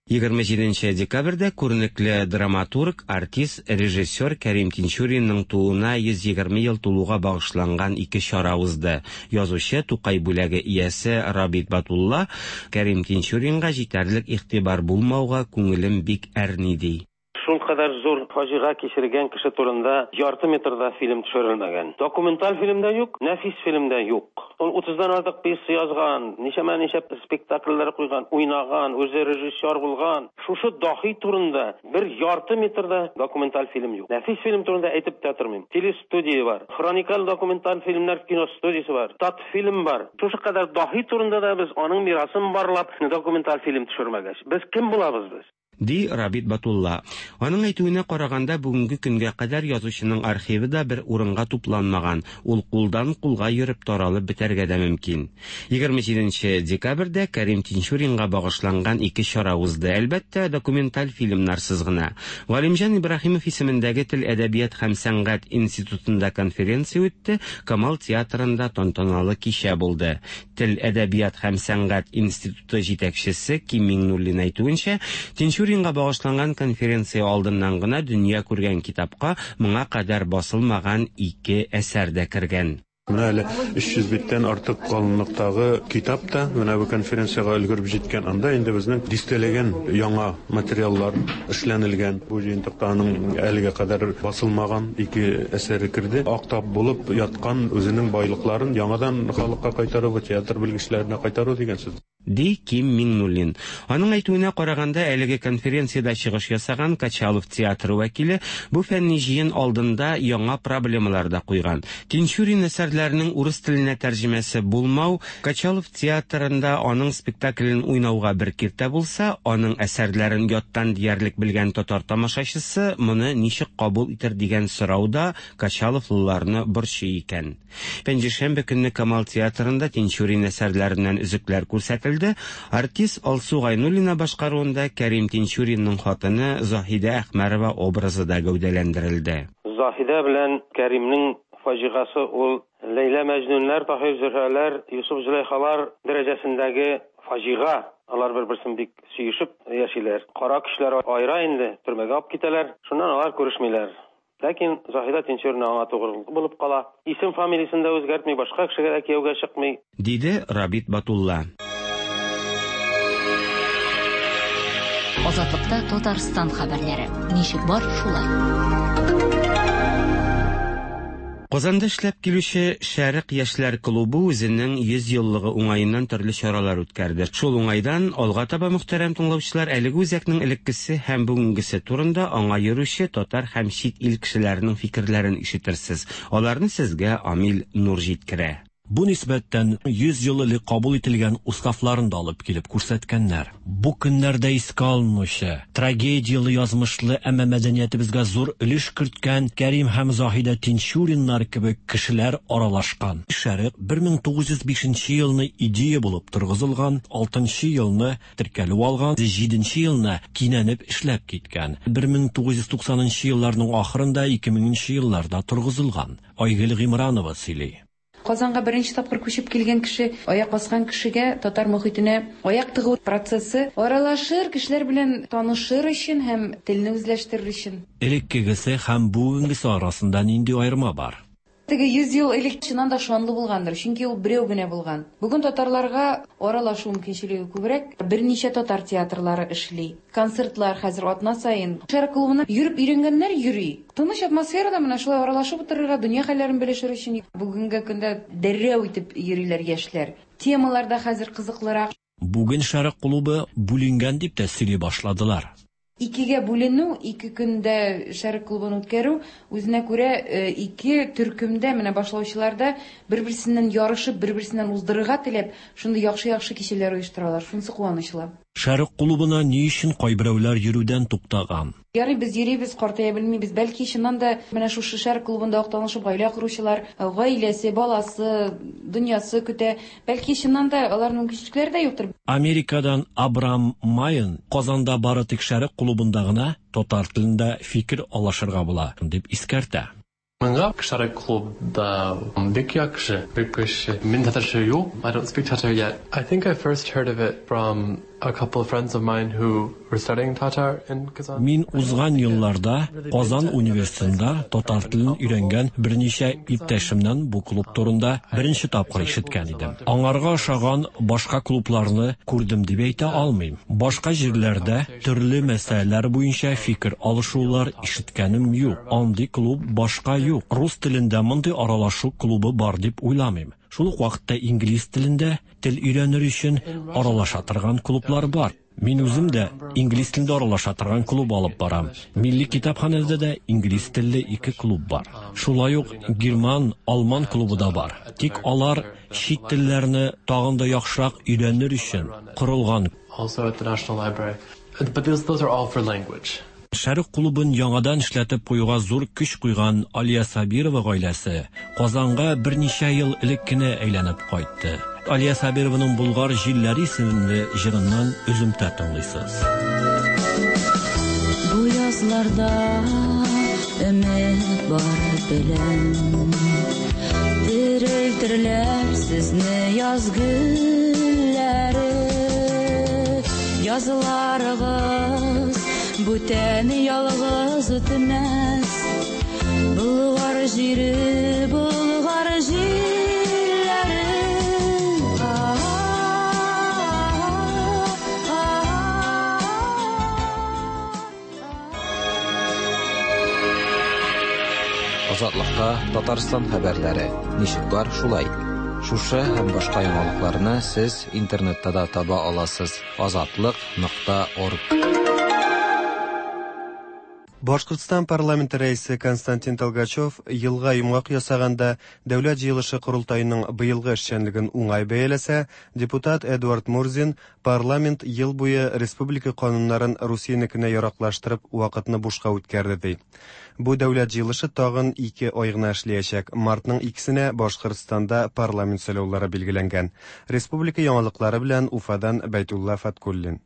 Егерме җиденче декабрьдә күренекле драматург, артист, режиссер Кәрим Тинчуринның тууына йөз егерме ел тулуга багышланган ике чара узды. Язучы Тукай бүләге иясе Рабит Батулла Кәрим Тинчуринга җитәрлек игътибар булмауга күңелем бик әрни, ди. Шул кадәр зур фаҗига кичергән кеше турында ярты метрда фильм төшерелмәгән. Документаль фильм дә юк, нәфис фильм дә юк. Ул утыздан артык пьеса язган, ничәмә-ничә спектакльләр куйган, уйнаган, үзе режиссер булган. Шушы дахи турында бер ярты метрда документаль фильм юк. Нәфис фильм турында әйтеп тә тормыйм. Телестудия бар, хроникаль документаль фильмнар киностудиясе бар, татфильм бар. Шушы кадәр дахи турында да без аның мирасын барлап документаль фильм төшермәгәч, без кем булабыз без? Ди Рабит Батулла. Аның әйтүенә караганда, бүгенге көнгә кадәр язучының архивы да бер урынга тупланмаган. Ул кулдан кулга йөреп таралып бетәргә дә мөмкин. Егерме җиденче декабрьдә Кәрим Тинчуринга багышланган ике чара узды. Әлбәттә, документаль фильмнарсыз гына. Галимҗан Ибраһимов исемендәге Тел, әдәбият һәм сәнгать институтында конференция үтте, Камал театрында тантаналы кичә булды. Тел, әдәбият һәм сәнгать институты җитәкчесе Ким Миңнуллин әйтүенчә, Тинчурин Тинчуринга багышланган конференция алдыннан гына дөнья күргән китапка моңа кадәр басылмаган ике әсәр дә кергән. Менә әле өч йөз биттән артык калынлыктагы китап та менә бу конференциягә өлгереп җиткән. Анда инде безнең дистәләгән яңа материаллар эшләнелгән. Бу җыентыкта аның әлегә кадәр басылмаган ике әсәре керде. Ак тап булып яткан үзенең байлыкларын яңадан халыкка кайтару, театр белгечләренә кайтару дигән сүз. Ди Ким Миңнуллин. Аның әйтүенә караганда, әлеге конференциядә чыгыш ясаган Качалов театры вәкиле бу фәнни җыен алдында яңа проблемалар да куйган. Тинчурин әсәрләренең урыс теленә тәрҗемәсе булмау Качалов театрында аның спектаклен уйнауга бер киртә булса, аның әсәрләрен яттан диярлек белгән татар тамашачысы моны ничек кабул итер дигән сорау да Качаловлыларны борчый икән. Пәнҗешәмбе көнне Камал театрында Тинчурин әсәрләреннән өзекләр күрсәтелде. Артист Алсу Гайнуллина башкаруында Кәрим Тинчуринның хатыны Заһидә Әхмәрова образы да гәүдәләндерелде. Заһидә белән Кәримнең фаҗигасы ул Ләйлә Мәҗнүннәр, Таһир Зөһрәләр, Юсуф Зөләйхалар дәрәҗәсендәге фаҗига. Алар бер-берсен бик сөешеп яшиләр. Кара көчләр аера инде, төрмәгә алып китәләр. Шуннан алар күрешмиләр. Ләкин Заһидә Тинчурина аңа тугры булып кала. Исем фамилиясен дә үзгәртми, башка кешегә дә кияүгә чыкмый, диде Рабит Батулла. Азатлыкта Татарстан хәбәрләре. Ничек бар, шулай. Казанда эшләп килүче Шәрык яшьләр клубы үзенең йөз еллыгы уңаеннан төрле чаралар үткәрде. Шул уңайдан алга таба мөхтәрәм тыңлаучылар әлеге үзәкнең элеккесе һәм бүгенгесе турында аңа йөрүче татар һәм чит ил кешеләренең фикерләрен ишетерсез. Аларны сезгә Амил Нур җиткерә. Бу нисбәттән йөз ел элек кабул ителгән уставларын да алып килеп күрсәткәннәр. Бу көннәрдә искә алынучы, трагедияле язмышлы, әмма мәдәниятебезгә зур өлеш керткән Кәрим һәм Заһидә Тинчуриннар кебек кешеләр аралашкан. Шәрык бер мең тугыз йөз бишенче елны идея булып торгызылган, алтынчы елны теркәлү алган, җиденче елны кинәнеп эшләп киткән. бер мең тугыз йөз туксанынчы елларның ахырында ике меңенче елларда торгызылган. Айгөл Гыймранова сөйли. Казанга беренче тапкыр күчеп килгән кеше, аяк баскан кешегә татар мохитенә аяк тыгу процессы аралашыр, кешеләр белән танышыр өчен һәм телне үзләштерер өчен. Элеккегесе һәм бүгенгесе арасында нинди аерма бар? Теге йөз ел элек чыннан да шанлы булгандыр, чөнки ул берәү генә булган. Бүген татарларга аралашу мөмкинчелеге күбрәк, берничә татар театрлары эшли. Концертлар хәзер атна саен. Шәрык клубына йөреп өйрәнгәннәр йөри. Тыныч атмосферада менә шулай аралашып утырырга, дөнья хәлләрен белешер өчен бүгенге көндә дәррәү итеп йөриләр яшьләр. Темалар да хәзер кызыклырак. Бүген Шәрык клубы бүленгән дип тә сөйли башладылар. Икегә бүленү, ике көндә Шәрык клубын үткәрү, үзенә күрә ике төркемдә менә башлаучыларда бер-берсеннән ярышып, бер-берсеннән уздырырга теләп, шундый яхшы-яхшы кичәләр оештыралар. Шунысы куанычлы. Шәрык клубына ни өчен кайберәүләр йөрүдән туктаган? Ярый, без йөрибез, картая белмибез. Бәлки чыннан да менә шушы Шәрык клубында ук танышып гаилә коручылар, гаиләсе, баласы, дөньясы көтә. Бәлки чыннан да аларның мөмкинчелекләре дә юктыр. Америкадан Абрам Майен Казанда бары тик Шәрык клубында гына татар телендә фикер алышырга була дип искәртә. Миңа Шәрык клубда бик яхшы, бик көчле. Мин татарча юк, I don't speak Tatar yet. I think I first heard of it from a couple of friends of mine who were studying Tatar in Kazan. Мин узган елларда Казан университетында татар телен өйрәнгән берничә иптәшемнән бу клуб турында беренче тапкыр ишеткән идем. Аңарга ошаган башка клубларны күрдем дип әйтә алмыйм. Башка җирләрдә төрле мәсьәләләр буенча фикер алышулар ишеткәнем юк. Андый клуб башка юк. Рус телендә мондый аралашу клубы бар дип уйламыйм. Шул ук вакытта инглиз телендә тел өйрәнер өчен аралаша торган клублар бар. Мин үзем дә инглиз телендә аралаша торган клуб алып барам. Милли китапханәдә дә инглиз телле ике клуб бар. Шулай ук герман, алман клубы да бар. Тик алар чит телләрне тагын да яхшырак өйрәнер өчен корылган. Also at the National Library. But those, those are all for language. Шәрык клубын яңадан эшләтеп куюга зур көч куйган Алия Сабирова гаиләсе Казанга берничә ел элек кенә әйләнеп кайтты. Алия Сабированың Булгар җилләре исемле җырыннан өземтә тыңлыйсыз. Бу язларда өмет бар беләм, терелтерләр сезне яз гөлләре, язларыгыз бүтән ялгыз үтмәс. Болгар җире, Болгар җилләре. Азатлыкта Татарстан хәбәрләре. Ничек бар, шулай. Шушы һәм башка яңалыкларны сез интернетта да таба аласыз. азатлык нокта орг. Башкортстан парламенты рәисе Константин Толгачев елга йомгак ясаганда дәүләт җыелышы корылтаеның быелгы эшчәнлеген уңай бәяләсә, депутат Эдуард Мурзин парламент ел буе республика кануннарын Русиянекенә яраклаштырып вакытны бушка үткәрде ди. Бу дәүләт җыелышы тагын ике ай гына эшләячәк. Мартның икесенә Башкортстанда парламент сайлаулары билгеләнгән. Республика яңалыклары белән Уфадан Бәйтулла Фаткуллин.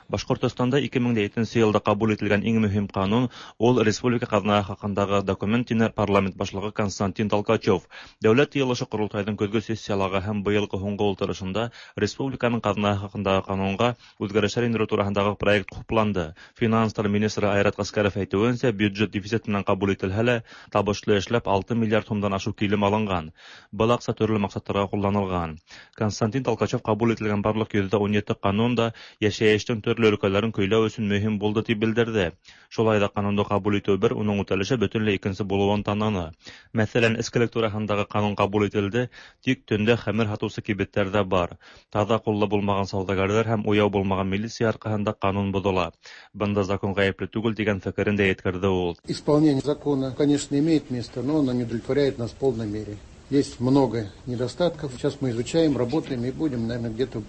Башкортостанда ике мең етенче елда кабул ителгән иң мөһим канун ул республика казнасы хакындагы документ тине парламент башлыгы Константин Толкачев. Дәүләт җыелышы корылтайның көзге сессиялыгы һәм быелгы һуңгы ултырышында республиканың казнасы хакындагы канунга үзгәрешләр индерү турындагы проект хупланды. Финанслар министры Айрат Аскаров әйтүенчә, бюджет дефицит менән кабул ителһә лә, табышлы эшләп алты миллиард сумдан ашык килем алынган. Был акча төрле максатларга кулланылган. Константин Толкачев кабул ителгән барлык йөз ун ете канун да яшәештең төрле өлкәләрен көйләү өчен мөһим булды дип белдерде. Шулай да канунды кабул итү бер, уның үтәлеше бөтенләй икенче булуын таныны. Мәсәлән, эскелек турындагы канун кабул ителде, тик төндә хәмер һатучы кибетләрдә бар. Таза куллы булмаган саудагарлар һәм уяу булмаган милиция аркасында канун бозыла. Бында закон гаепле түгел дигән фикерен дә әйткерде ул. Исполнение закона, конечно, имеет место, но оно не удовлетворяет нас в полной мере. Есть много недостатков. Сейчас мы изучаем, работаем и будем, наверное, где-то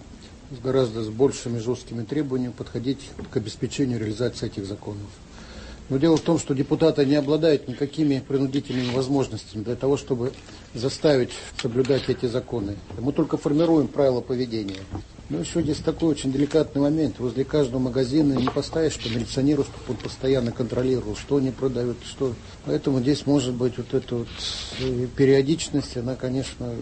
с гораздо с большими жесткими требованиями подходить к обеспечению реализации этих законов. Но дело в том, что депутаты не обладают никакими принудительными возможностями для того, чтобы заставить соблюдать эти законы. Мы только формируем правила поведения. Но еще здесь такой очень деликатный момент. Возле каждого магазина не поставишь, что милиционеру, чтобы он постоянно контролировал, что они продают, что. Поэтому здесь может быть вот эта вот периодичность, она, конечно,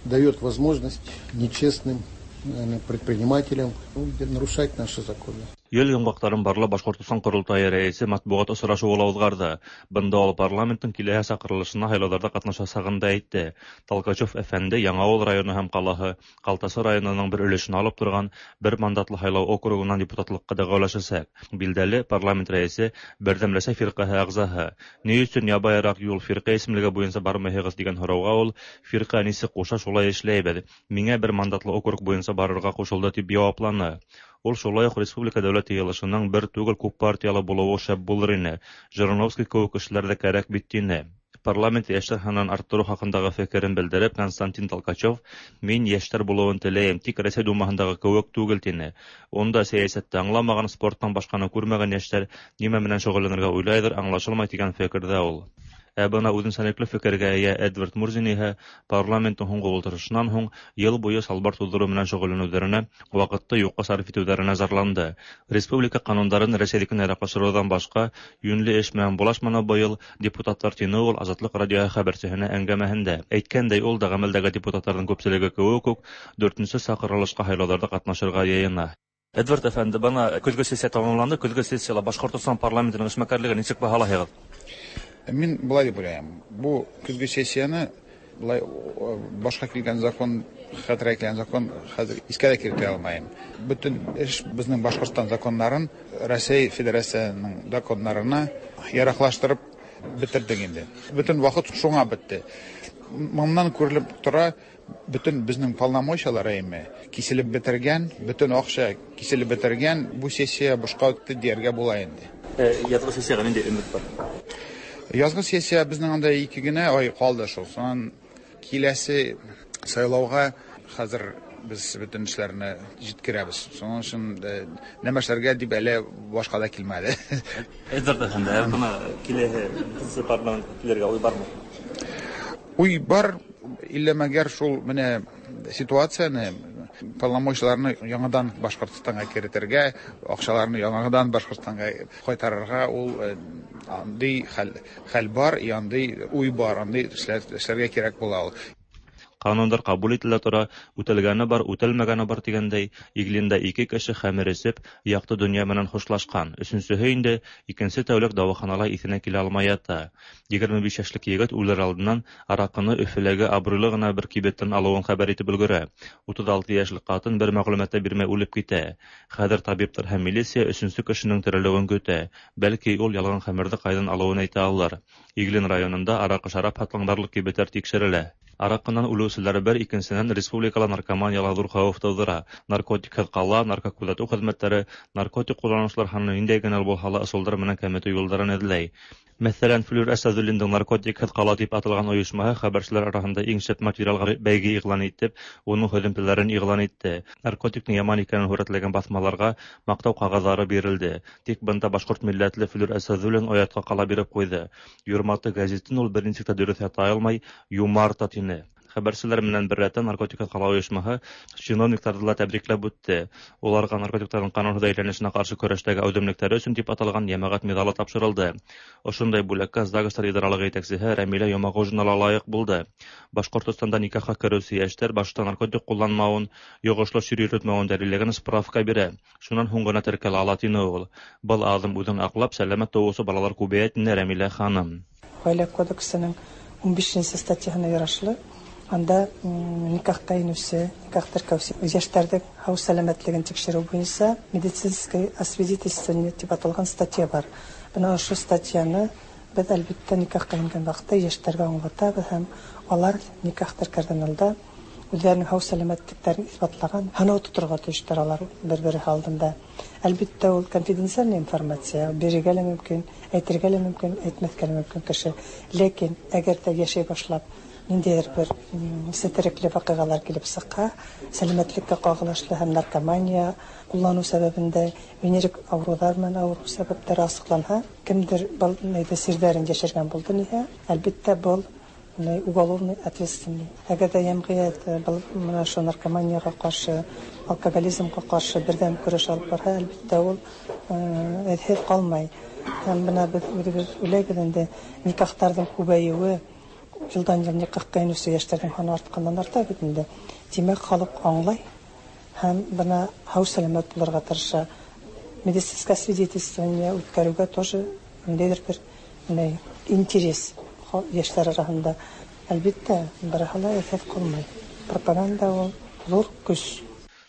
дает возможность нечестным, наверное, предпринимателям нарушать наши законы. Ел йомғаҡтарын барлап Башҡортостан ҡоролтайы рәйесе матбуғат осрашыуы ла уҙғарҙы. Бында ул парламенттың киләһе саҡырылышына һайлауҙарҙа ҡатнашасағын да әйтте. Толкачев әфәнде Яңауыл районы һәм ҡалаһы Ҡалтасы районының бер өлөшөн алып торған бер мандатлы һайлау округынан депутатлыҡҡа дәғүәләшәсәк. Билдәле, парламент рәйесе Берҙәм Рәсәй фирҡәһе ағзаһы. Ни өсөн ябайыраҡ юл фирҡә исемлеге буйынса бармайһығыҙ тигән һорауға ул фирҡә нисек ҡуша шулай эшләйбеҙ. Миңә бер мандатлы округ буйынса барырға ҡушылды тип яуапланы. Ул шулай уҡ республика дәүләт йыйылышының бер түгел күп партиялы булыуы шәп булыр ине. Жириновский кеүек кешеләр ҙә кәрәк бит тине. Парламент йәштәр һанын арттырыу хаҡындағы фекерен белдереп, Константин Толкачев мин йәштәр булыуын теләйем, тик Рәсәй Думаһындағы кеүек түгел тине. Унда сәйәсәтте аңламаған, спорттан башҡаны күрмәгән йәштәр нимә менән шөғөлләнергә уйлайҙыр, аңлашылмай тигән фекерҙә ул. Ә бына үҙенсәлекле фекергә эйә Эдвард Мурзин иһә парламенттың һуңғы ултырышынан һуң йыл буйы салбар туҙҙырыу менән шөғөлләнеүҙәренә, ваҡытты юҡҡа сарыф итеүҙәренә зарланды. Республика ҡанундарын Рәсәйҙекенә яраҡлаштырыуҙан башҡа йүнле эш менән булашманы быйыл депутаттар, тине ул Азатлыҡ радиоһы хәбәрсеһенә әңгәмәһендә. Әйткәндәй, ул да ғәмәлдәге депутаттарҙың күпселеге кеүек үк дүртенсе саҡырылышҡа һайлауҙарҙа ҡатнашырға йыйына. Эдвард әфәнде, бына көҙгө сессия тамамланды. Көҙгө сессияла Башҡортостан парламентының эшмәкәрлеген нисек баһалайһығыҙ? Мин былай дип уйлайым. Бу көҙгө сессияны былай башҡа килгән закон, хәтергә килгән закон хәҙер иҫкә лә килтерә алмайым. Бөтөн эш беҙҙең Башҡортостан законнарын Рәсәй Федерацияһының законнарына яраҡлаштырып бөтөрҙөк инде. Бөтөн ваҡыт шуңа бөттө. Моннан күрелеп тора, бөтөн беҙҙең полномочиялар әйме киселеп бөтөргән, бөтөн аҡса киселеп бөтөргән, бу сессия бушҡа үтте тиергә була инде. Яҙғы сессияға ниндәй өмөт бар? Язгы сессия безнең анда ике генә ай калды шул. Сонан киләсе сайлауга хәзер без бөтен эшләрне җиткерәбез. Шуның өчен нәмә эшләргә дип әле башка да килмәде. Эдвард әфәнде, бына киләһе парламентка килергә уй бармы? Уй бар, иллә мәгәр шул менә ситуацияне, полномочияларны яңадан Башҡортостанға керетергә, акчаларны яңадан Башҡортостанға кайтарырга ул андый хәл, хәл бар, андый уй бар, андый эшләргә кирәк була ул. Ҡанундар ҡабул ителә тора, үтәлгәне бар, үтәлмәгәне бар тигәндәй, Иглинда ике кеше хәмер эсеп, яҡты донъя менән хушлашҡан. Өсөнсөһө инде икенсе тәүлек дауаханала иҫенә килә алмай ята. Егерме биш йәшлек егет үлер алдынан араҡыны Өфөләге абруйлы ғына бер кибеттән алыуын хәбәр итеп өлгөрә. Утыҙ алты йәшлек ҡатын бер мәғлүмәт тә бирмәй үлеп китә. Хәҙер табиптар һәм милиция өсөнсө кешенең терелеүен көтә. Бәлки ул ялған хәмерҙе ҡайҙан алыуын әйтә алыр. Иглин районында араҡы шарап һатҡан барлыҡ кибеттәр тикшерелә. Араҡынан үлеүселәр бер, икенсенән республикала наркоманияла ҙур хәүеф тыуҙыра. Наркотикһыҙ ҡала, наркокүҙәтеү хеҙмәттәре наркотик ҡулланыусылар һанын ниндәй генә булһа ла ысулдар менән кәметеү юлдарын эҙләй. Мәҫәлән, Флүр Әсәҙуллиндың наркотикһыҙ ҡала тип аталған ойошмаһы хәбәрселәр араһында иң шәп материалға бәйге иғлан итеп, уның һөҙөмтәләрен иғлан итте. Наркотиктың яман икәнен һүрәтләгән баҫмаларға маҡтау ҡағыҙҙары бирелде. Тик бында башҡорт милләтле Флүр Әсәҙуллин оятҡа ҡала биреп ҡуйҙы. Юрматы гәзитен ул бер нисек тә дөрөҫ ята алмай, юмарта тине. Хәбәрселәр менән бер рәттән наркотикһыҙ ҡала ойошмаһы чиновниктарҙы ла тәбрикләп үтте. Уларға наркотиктарҙың ҡанунһыҙ әйләнешенә ҡаршы көрәштәге әүҙемлектәре өсөн тип аталған йәмәғәт миҙалы тапшырылды. Ошондай бүләккә ЗАГСтар идаралығы етәксеһе Рәмилә Йомағужина ла лайыҡ булды. Башҡортостанда никахҡа кереүсе йәштәр башта наркотик ҡулланмауын, йоғошло сир йөрөтмәүен дәлилләгән справка бирә. Шунан һуң ғына теркәлә ала тине ул. Был аҙым үҙен аҡлап, сәләмәт тыуыусы балалар күбәйә, тине Рәмилә ханым. Ғаилә кодексының ун бишенсе статьяһына ярашлы анда никахҡа инеүсе, никах теркәүсе йәштәрҙең һау сәләмәтлеген тикшереү буйынса медицинское освидетельствование тип аталған статья бар. Бына ошо статьяны беҙ әлбиттә никахҡа ингән ваҡытта йәштәргә аңлатабыҙ һәм алар никах теркәрҙән алда үҙҙәренең һау сәләмәтлектәрен иҫбатлаған һынау тоторға тейештәр алар бер-береһе алдында. Әлбиттә, ул конфиденциальная информация, бирергә лә мөмкин, әйтергә лә мөмкин, әйтмәҫкә лә мөмкин кеше. Ләкин әгәр ҙә йәшәй башлап ниндәйҙер бер сетерекле ваҡиғалар килеп сыҡһа, сәләмәтлеккә ҡағылышлы һәм наркомания ҡулланыу сәбәбендә венерик ауырыуҙар менән ауырыу сәбәптәре асыҡланһа, кемдер был нейҙе сирҙәрен йәшергән булды ниһә, әлбиттә, был уголовный ответственный. Әгәр ҙә йәмғиәт был менә ошо наркоманияға ҡаршы, алкоголизмға ҡаршы берҙәм көрәш алып барһа, әлбиттә, ул эҙһеҙ ҡалмай. Һәм бына беҙ үҙебеҙ уйлайбыҙ инде, никахтарҙың күбәйеүе, йылдан йыл никахҡа инеүсе йәштәрҙең һаны артҡандан арта бит инде. Тимәк, халыҡ аңлай һәм бына һау сәләмәт булырға тырыша. Медицинское освидетельствование үткәрүгә тоже ниндәйдер бер ни интерес яшьләр арасында. Әлбиттә, барыһы ла эффект кылмай. Пропаганда ул зур көс.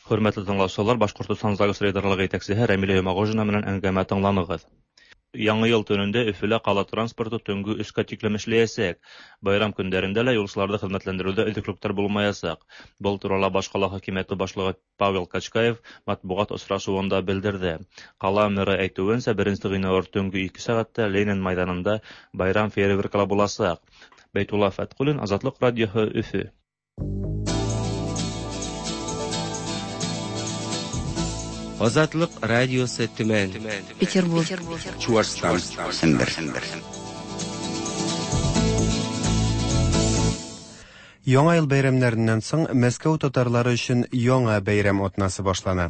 Хөрмәтле тыңлаучылар, Башҡортостан ЗАГС рейдерлығы етәксеһе Рәмилә Йомағожина менән әңгәмә тыңланығыҙ. Яңы йыл төнөндә Өфөлә ҡала транспорты төнгө өскә тиклем эшләйәсәк. Байрам көндәрендә лә юлсыларҙы хеҙмәтләндереүҙә өҙөклөктәр булмаясаҡ. Был турала баш ҡала хакимиәте башлығы Павел Качкаев матбуғат осрашыуында белдерҙе. Ҡала мэры әйтеүенсә, беренсе ғинуар төнгө ике сәғәттә Ленин майҙанында байрам фейерверкалар буласаҡ. Бәйтулла Фәтҡуллин, Азатлыҡ радиоһы, Өфө. Азатлык радиосы Төмән, Петербург, Чуашстан, Сембер. Яңа ел бәйрәмнәреннән соң Мәскәү татарлары өчен яңа бәйрәм атнасы башлана.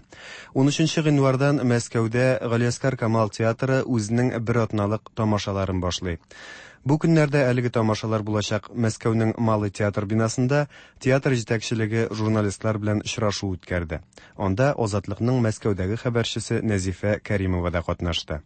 ун өченче гыйнвардан Мәскәүдә Галиәскар Камал театры үзенең бер атналык тамашаларын башлый. Бу көннәрдә әлеге тамашалар булачак Мәскәүнең Малый театр бинасында театр җитәкчелеге журналистлар белән очрашу үткәрде. Анда Азатлыкның Мәскәүдәге хәбәрчесе Нәзифә Кәримова да катнашты.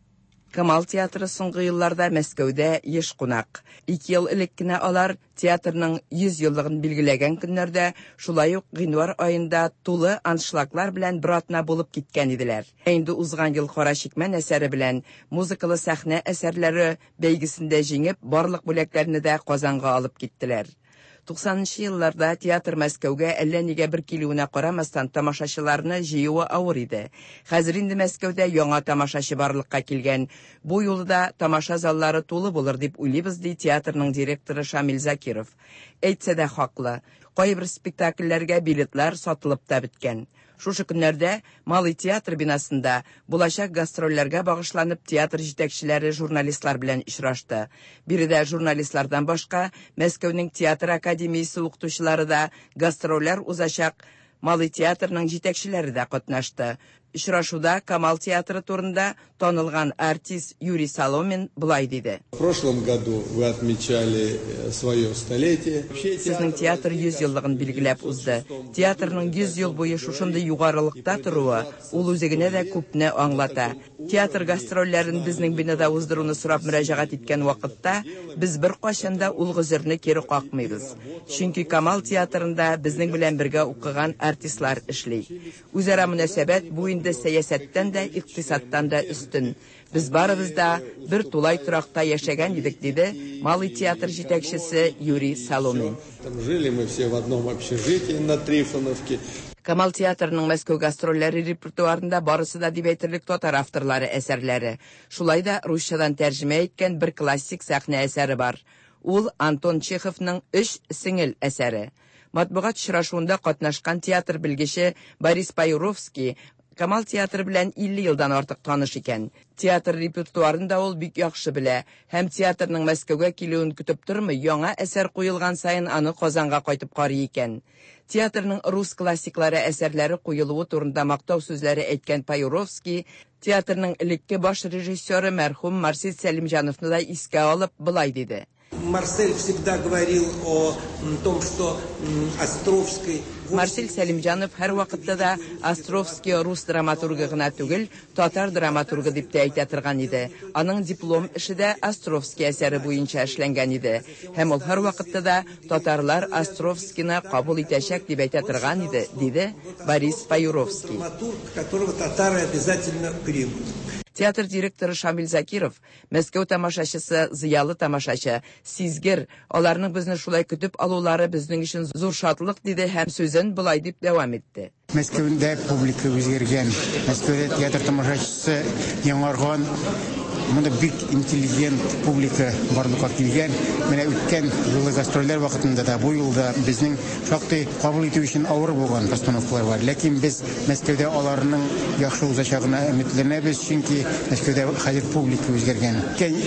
Камал театры соңгы елларда Мәскәүдә еш кунак. Ике ел элек кенә алар театрның йөз еллыгын билгеләгән көннәрдә, шулай ук гыйнвар аенда тулы аншлаглар белән бер атна булып киткән иделәр. Инде узган ел Кара чикмән әсәре белән музыкалы сәхнә әсәрләре бәйгесендә җиңеп, барлык бүләкләрне дә Казанга алып киттеләр. Туксанынчы елларда театр Мәскәүгә әллә нигә бер килүенә карамастан тамашачыларны җыюы авыр иде. Хәзер инде Мәскәүдә яңа тамашачы барлыкка килгән. Бу юлы да тамаша заллары тулы булыр дип уйлыйбыз, ди театрның директоры Шамил Закиров. Әйтсә дә хаклы. Кайбер спектакльләргә билетлар сатылып та беткән. Шушы көннәрдә Малый театр бинасында булачак гастрольләргә багышланып театр җитәкчеләре журналистлар белән очрашты. Биредә журналистлардан башка Мәскәүнең театр академиясе укытучылары да гастрольләр узачак Малый театрның җитәкчеләре дә катнашты. Очрашуда Камал театры турында танылган артист Юрий Соломин былай диде. В прошлом году вы отмечали свое столетие. Сезнең театр йөз еллыгын билгеләп узды. Театрның йөз ел буе шушындый югарылыкта торуы ул үзе генә дә күпне аңлата. Театр гастрольләрен безнең бинада уздыруны сорап мөрәҗәгать иткән вакытта без беркайчан да ул гозерне кире какмыйбыз. Чөнки Камал театрында безнең белән бергә укыган артистлар эшли. Үзара мөнәсәбәт бу инде сәясәттән дә, икътисадтан да өстен. Без барыбыз да бер тулай торакта яшәгән идек, диде Малый театр җитәкчесе Юрий Соломин. Там жили мы все в одном общежитии на Трифоновке. Камал театрының Мәскәү гастрольләре репертуарында барысы да дип әйтерлек татар авторлары әсәрләре. Шулай да русчадан тәрҗемә иткән бер классик сәхнә әсәре бар. Ул Антон Чеховның Өч сеңел әсәре. Матбугат очрашуында катнашкан театр белгече Борис Паюровский Камал театры белән илле елдан артык таныш икән. Театр репертуарын да ул бик яхшы белә һәм театрның Мәскәүгә килүен көтеп тормый, яңа әсәр куелган саен аны Казанга кайтып карый икән. Театрның рус классиклары әсәрләре куелуы турында мактау сүзләре әйткән Паюровский театрның элекке баш режиссеры мәрхүм Марсель Сәлимҗановны да искә алып былай диде. Марсель всегда говорил о том, что Островский... Марсель Сәлимҗанов һәр вакытта да Островский рус драматургы гына түгел, татар драматургы дип тә әйтә торган иде. Аның диплом эше дә Островский әсәре буенча эшләнгән иде. Һәм ул һәр вакытта да татарлар Островскийны кабул итәчәк дип әйтә торган иде, диде Борис Паюровский. Драматург, которого татары обязательно примут. Театр директоры Шамил Закиров, Мәскәү тамашачысы, зыялы тамашачы, сизгер, аларның безне шулай көтеп алулары безнең өчен зур шатлык, диде һәм сүзен былай дип дәвам итте. Мәскәүдә публика үзгәргән, Мәскәүдә театр тамашачысы яңарган, монда бик интеллигент публика барлыкка килгән. Менә үткән юлы гастрольләр вакытында да бу юлда безнең шактый кабул итү өчен авыр булган постановкалар бар. Ләкин без Мәскәүдә аларның яхшы узачагына өметләнәбез, чөнки Мәскәүдә хәзер публика үзгәргән.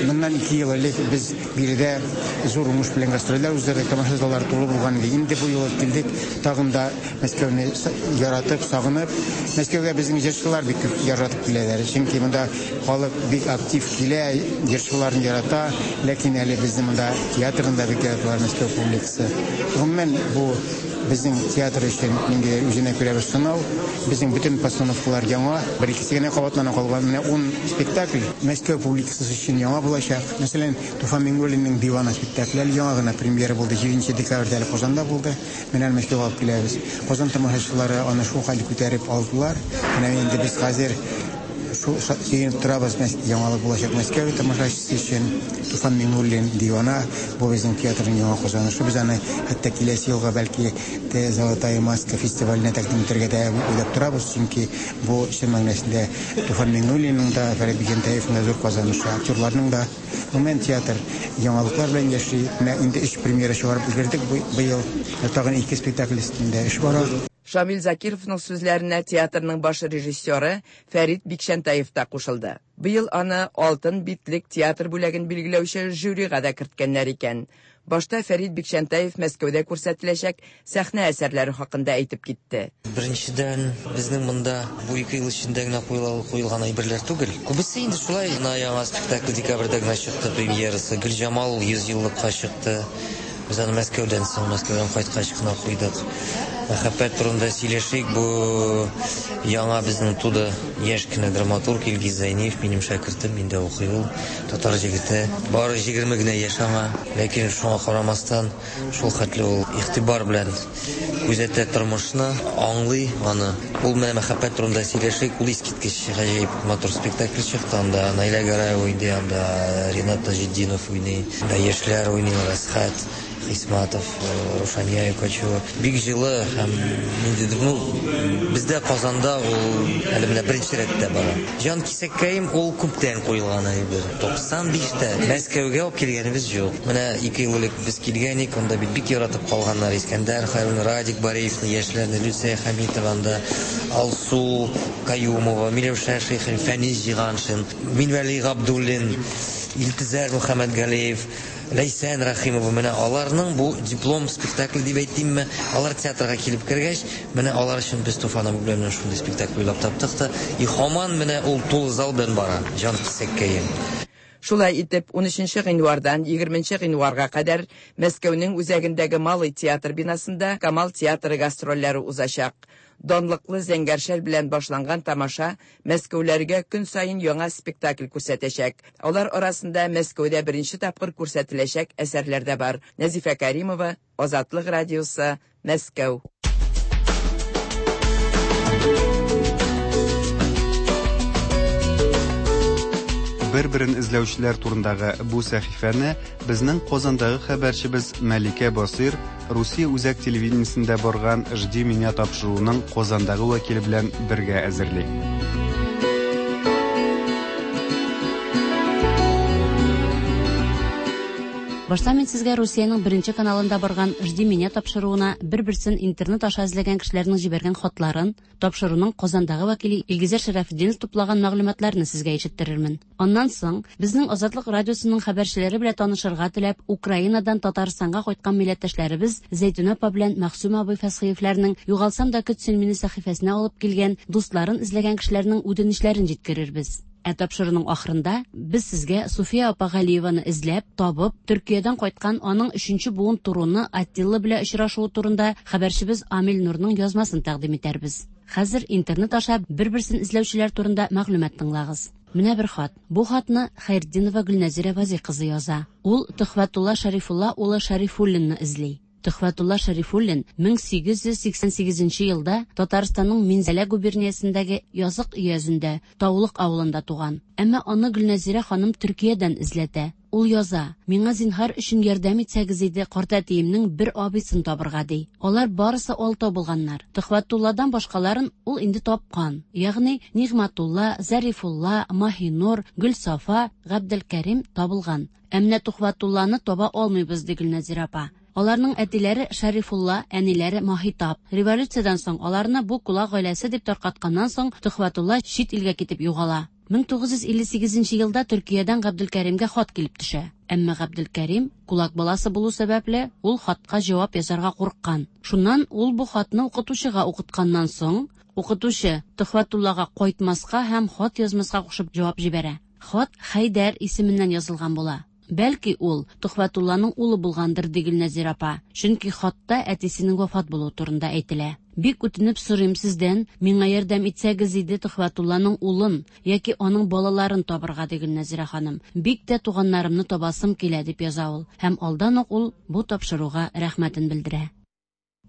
Моннан ике ел элек без биредә зур уңыш белән гастрольләр уздырдык, тамаша заллары тулы булган иде. Инде бу юлы килдек, тагын да Мәскәүне яратып, сагынып. Мәскәүгә безнең җырчылар бик күп яратып киләләр, чөнки монда халык бик актив килә, җырчыларын ярата, ләкин әле безнең монда театрында бик яраталар Мәскәү публикасы. Гомумән, бу безнең театр өчен ниндидер үзенә күрә бер сынау. Безнең бөтен постановкалар яңа, бер икесе генә кабатлана калган. Менә ун спектакль Мәскәү публикасы өчен яңа булачак. Мәсәлән, Туфан Миңнуллинның Дивана спектакле әле яңа гына премьера булды. Җиденче декабрьдә әле Казанда булды. Менә Мәскәүгә алып киләбез. Казан тамашачылары аны шул хәл күтәреп алдылар. Менә инде без хәзер шул сөенеп торабыз, яңалык булачак Мәскәү тамашачысы өчен. Туфан Миңнуллин Дивана, бу безнең театрның яңа казанышы. Без аны хәтта киләсе елга бәлки Золотая маска фестиваленә тәкъдим итәргә дә уйлап торабыз, чөнки бу чын мәгънәсендә Туфан Миңнуллинның да, Фәрит Бикчәнтәевның да зур казанышы, актерларның да. Гомумән театр яңалыклар белән яши. Менә инде өч премьера чыгарып өлгердек быел. Тагын ике спектакль өстендә эш бара. Шамил Закировның сүзләренә театрның баш режиссеры Фәрит Бикчәнтәев та кушылды. Быел аны Алтын битлек театр бүләген билгеләүче жюрига да керткәннәр икән. Башта Фәрит Бикчәнтәев Мәскәүдә күрсәтеләчәк сәхнә әсәрләре хакында әйтеп китте. Беренчедән, безнең монда бу ике ел эчендә генә куелган әйберләр түгел. Күбесе инде шулай гына яңа спектакль декабрьдә генә чыкты премьерасы. Гөлҗамал йөз еллыкка чыкты. Без аны Мәскәүдән соң, Мәскәүдән кайткач кына куйдык. Мәхәббәт турында сөйләшик. Бу яңа безнең туды яшь кенә драматург Илгиз Зәйниев, минем шәкертем, миндә укый ул, татар җегете. Бары егерме генә яшь аңа, ләкин шуңа карамастан шул хәтле ул игътибар белән күзәтә тормышны, аңлый аны. Ул менә мәхәббәт турында сөйләшик, ул искиткеч гаҗәеп матур спектакль чыкты. Анда Наилә Гараева уйный, анда Ринат Таҗетдинов уйный, анда яшьләр уйныйлар, Әсхәт Хисматов, Рушания Юкачева. Бик җылы һәм ниндидер, ну, бездә Казанда ул әле менә беренче рәттә бара. Җан кисәккәем ул күптән куелган әйбер. туксан биштә Мәскәүгә алып килгәнебез юк. Менә ике ел элек без килгән идек, анда бит бик яратып калганнар Искәндәр Хәйруллин, Радик Бариевны, яшьләрне, Люция Хәмитова, анда Алсу Каюмова, Миләүшә Шәйхин, Фәнис Җиганшин, Минвәли Габдуллин, Илтизәр Мөхәммәтгалиев, Ләйсән Рәхимова. Менә аларның бу диплом спектакль дип әйтимме, алар театрга килеп кергәч, менә алар өчен без Туфан абый белән шундый спектакль уйлап таптык та, и һаман менә ул тулы зал белән бара, Җан кисәккәем. Шулай итеп, унөченче гыйнвардан егерменче гыйнварга кадәр Мәскәүнең үзәгендәге Малый театр бинасында Камал театры гастрольләре узачак. Данлыклы Зәңгәршәл белән башланган тамаша Мәскәүләргә көн саен яңа спектакль күрсәтәчәк. Алар арасында Мәскәүдә беренче тапкыр күрсәтеләчәк әсәрләр дә бар. Нәзифә Каримова, Азатлык радиосы, Мәскәү. Бер-берен эзләүчеләр турындагы бу сәхифәне безнең Казандагы хәбәрчебез Мәликә Басир Русия үзәк телевидениесендә барган «Жди меня» тапшыруының Казандагы вәкиле белән бергә әзерли. Башта мин сезгә Русиянең беренче каналында барган «Жди меня» тапшыруына бер-берсен интернет аша эзләгән кешеләрнең җибәргән хатларын, тапшыруның Казандагы вәкиле Илгизәр Шәрәфетдинов туплаган мәгълүматларны сезгә ишеттерермен. Аннан соң безнең Азатлык радиосының хәбәрчеләре белән танышырга теләп Украинадан Татарстанга кайткан милләттәшләребез Зәйтүнә апа белән Мәгъсүм абый Фәсхиевләрнең «Югалсам да көт син мине» сәхифәсенә алып килгән дусларын эзләгән кешеләрнең үтенечләрен җиткерербез. Ә тапшыруның ахырында без сезгә Суфия апа Галиеваны эзләп, табып, Төркиядән кайткан аның өченче буын туруны Аттила белән очрашуы турында хәбәрчебез Амил Нурның язмасын тәкъдим итәрбез. Хәзер интернет аша бер-берсен эзләүчеләр турында мәгълүмат тыңлагыз. Менә бер хат. Бу хатны Хәйретдинова Гөлнәзирә Вази кызы яза. Ул Төхвәтулла Шәрифулла улы Шәрифуллинны эзли. Төхвәтулла Шәрифуллин мең сигез йөз сиксән сигезенче елда Татарстанның Минзәлә губерниясендәге Язык өязендә, Таулык авылында туган. Әмма аны Гөлнәзирә ханым Төркиядән эзләтә. Ул яза: "Миңа зинһар өчен ярдәм итсәгез иде, картәтиемнең бер абыйсын табырга", ди. Алар барысы алтау булганнар. Төхвәтулладан башкаларын ул инде тапкан. Ягъни Нигъмәтулла, Зарифулла, Маһинур, Гөлсафа, Габделкәрим табылган. Ә менә Төхвәтулланы таба алмыйбыз, ди Гөлнәзирә апа. Аларның әтиләре Шәрифулла, әниләре Маһитап. Революциядән соң аларны бу кулак гаиләсе дип таркатканнан соң Төхвәтулла чит илгә китеп югала. мең тугыз йөз илле сигезенче елда Төркиядән Габделкәримгә хат килеп төшә. Әмма Габделкәрим кулак баласы булу сәбәпле ул хатка җавап язарга курыккан. Шуннан ул бу хатны укытучыга укытканнан соң, укытучы Төхвәтуллага кайтмаска һәм хат язмаска кушып җавап җибәрә. Хат Хәйдәр исеменнән язылган була. Бәлки ул Төхвәтулланың улы булгандыр, ди Гөлнәзир апа. Чөнки хатта әтисенең вафат булуы турында әйтелә. Бик үтенеп сорыйм сездән, миңа ярдәм итсәгез иде Төхвәтулланың улын яки аның балаларын табырга, ди Гөлнәзирә ханым. Бик тә туганнарымны табасым килә, дип яза ул. Һәм алдан ук ул бу тапшыруга рәхмәтен белдерә.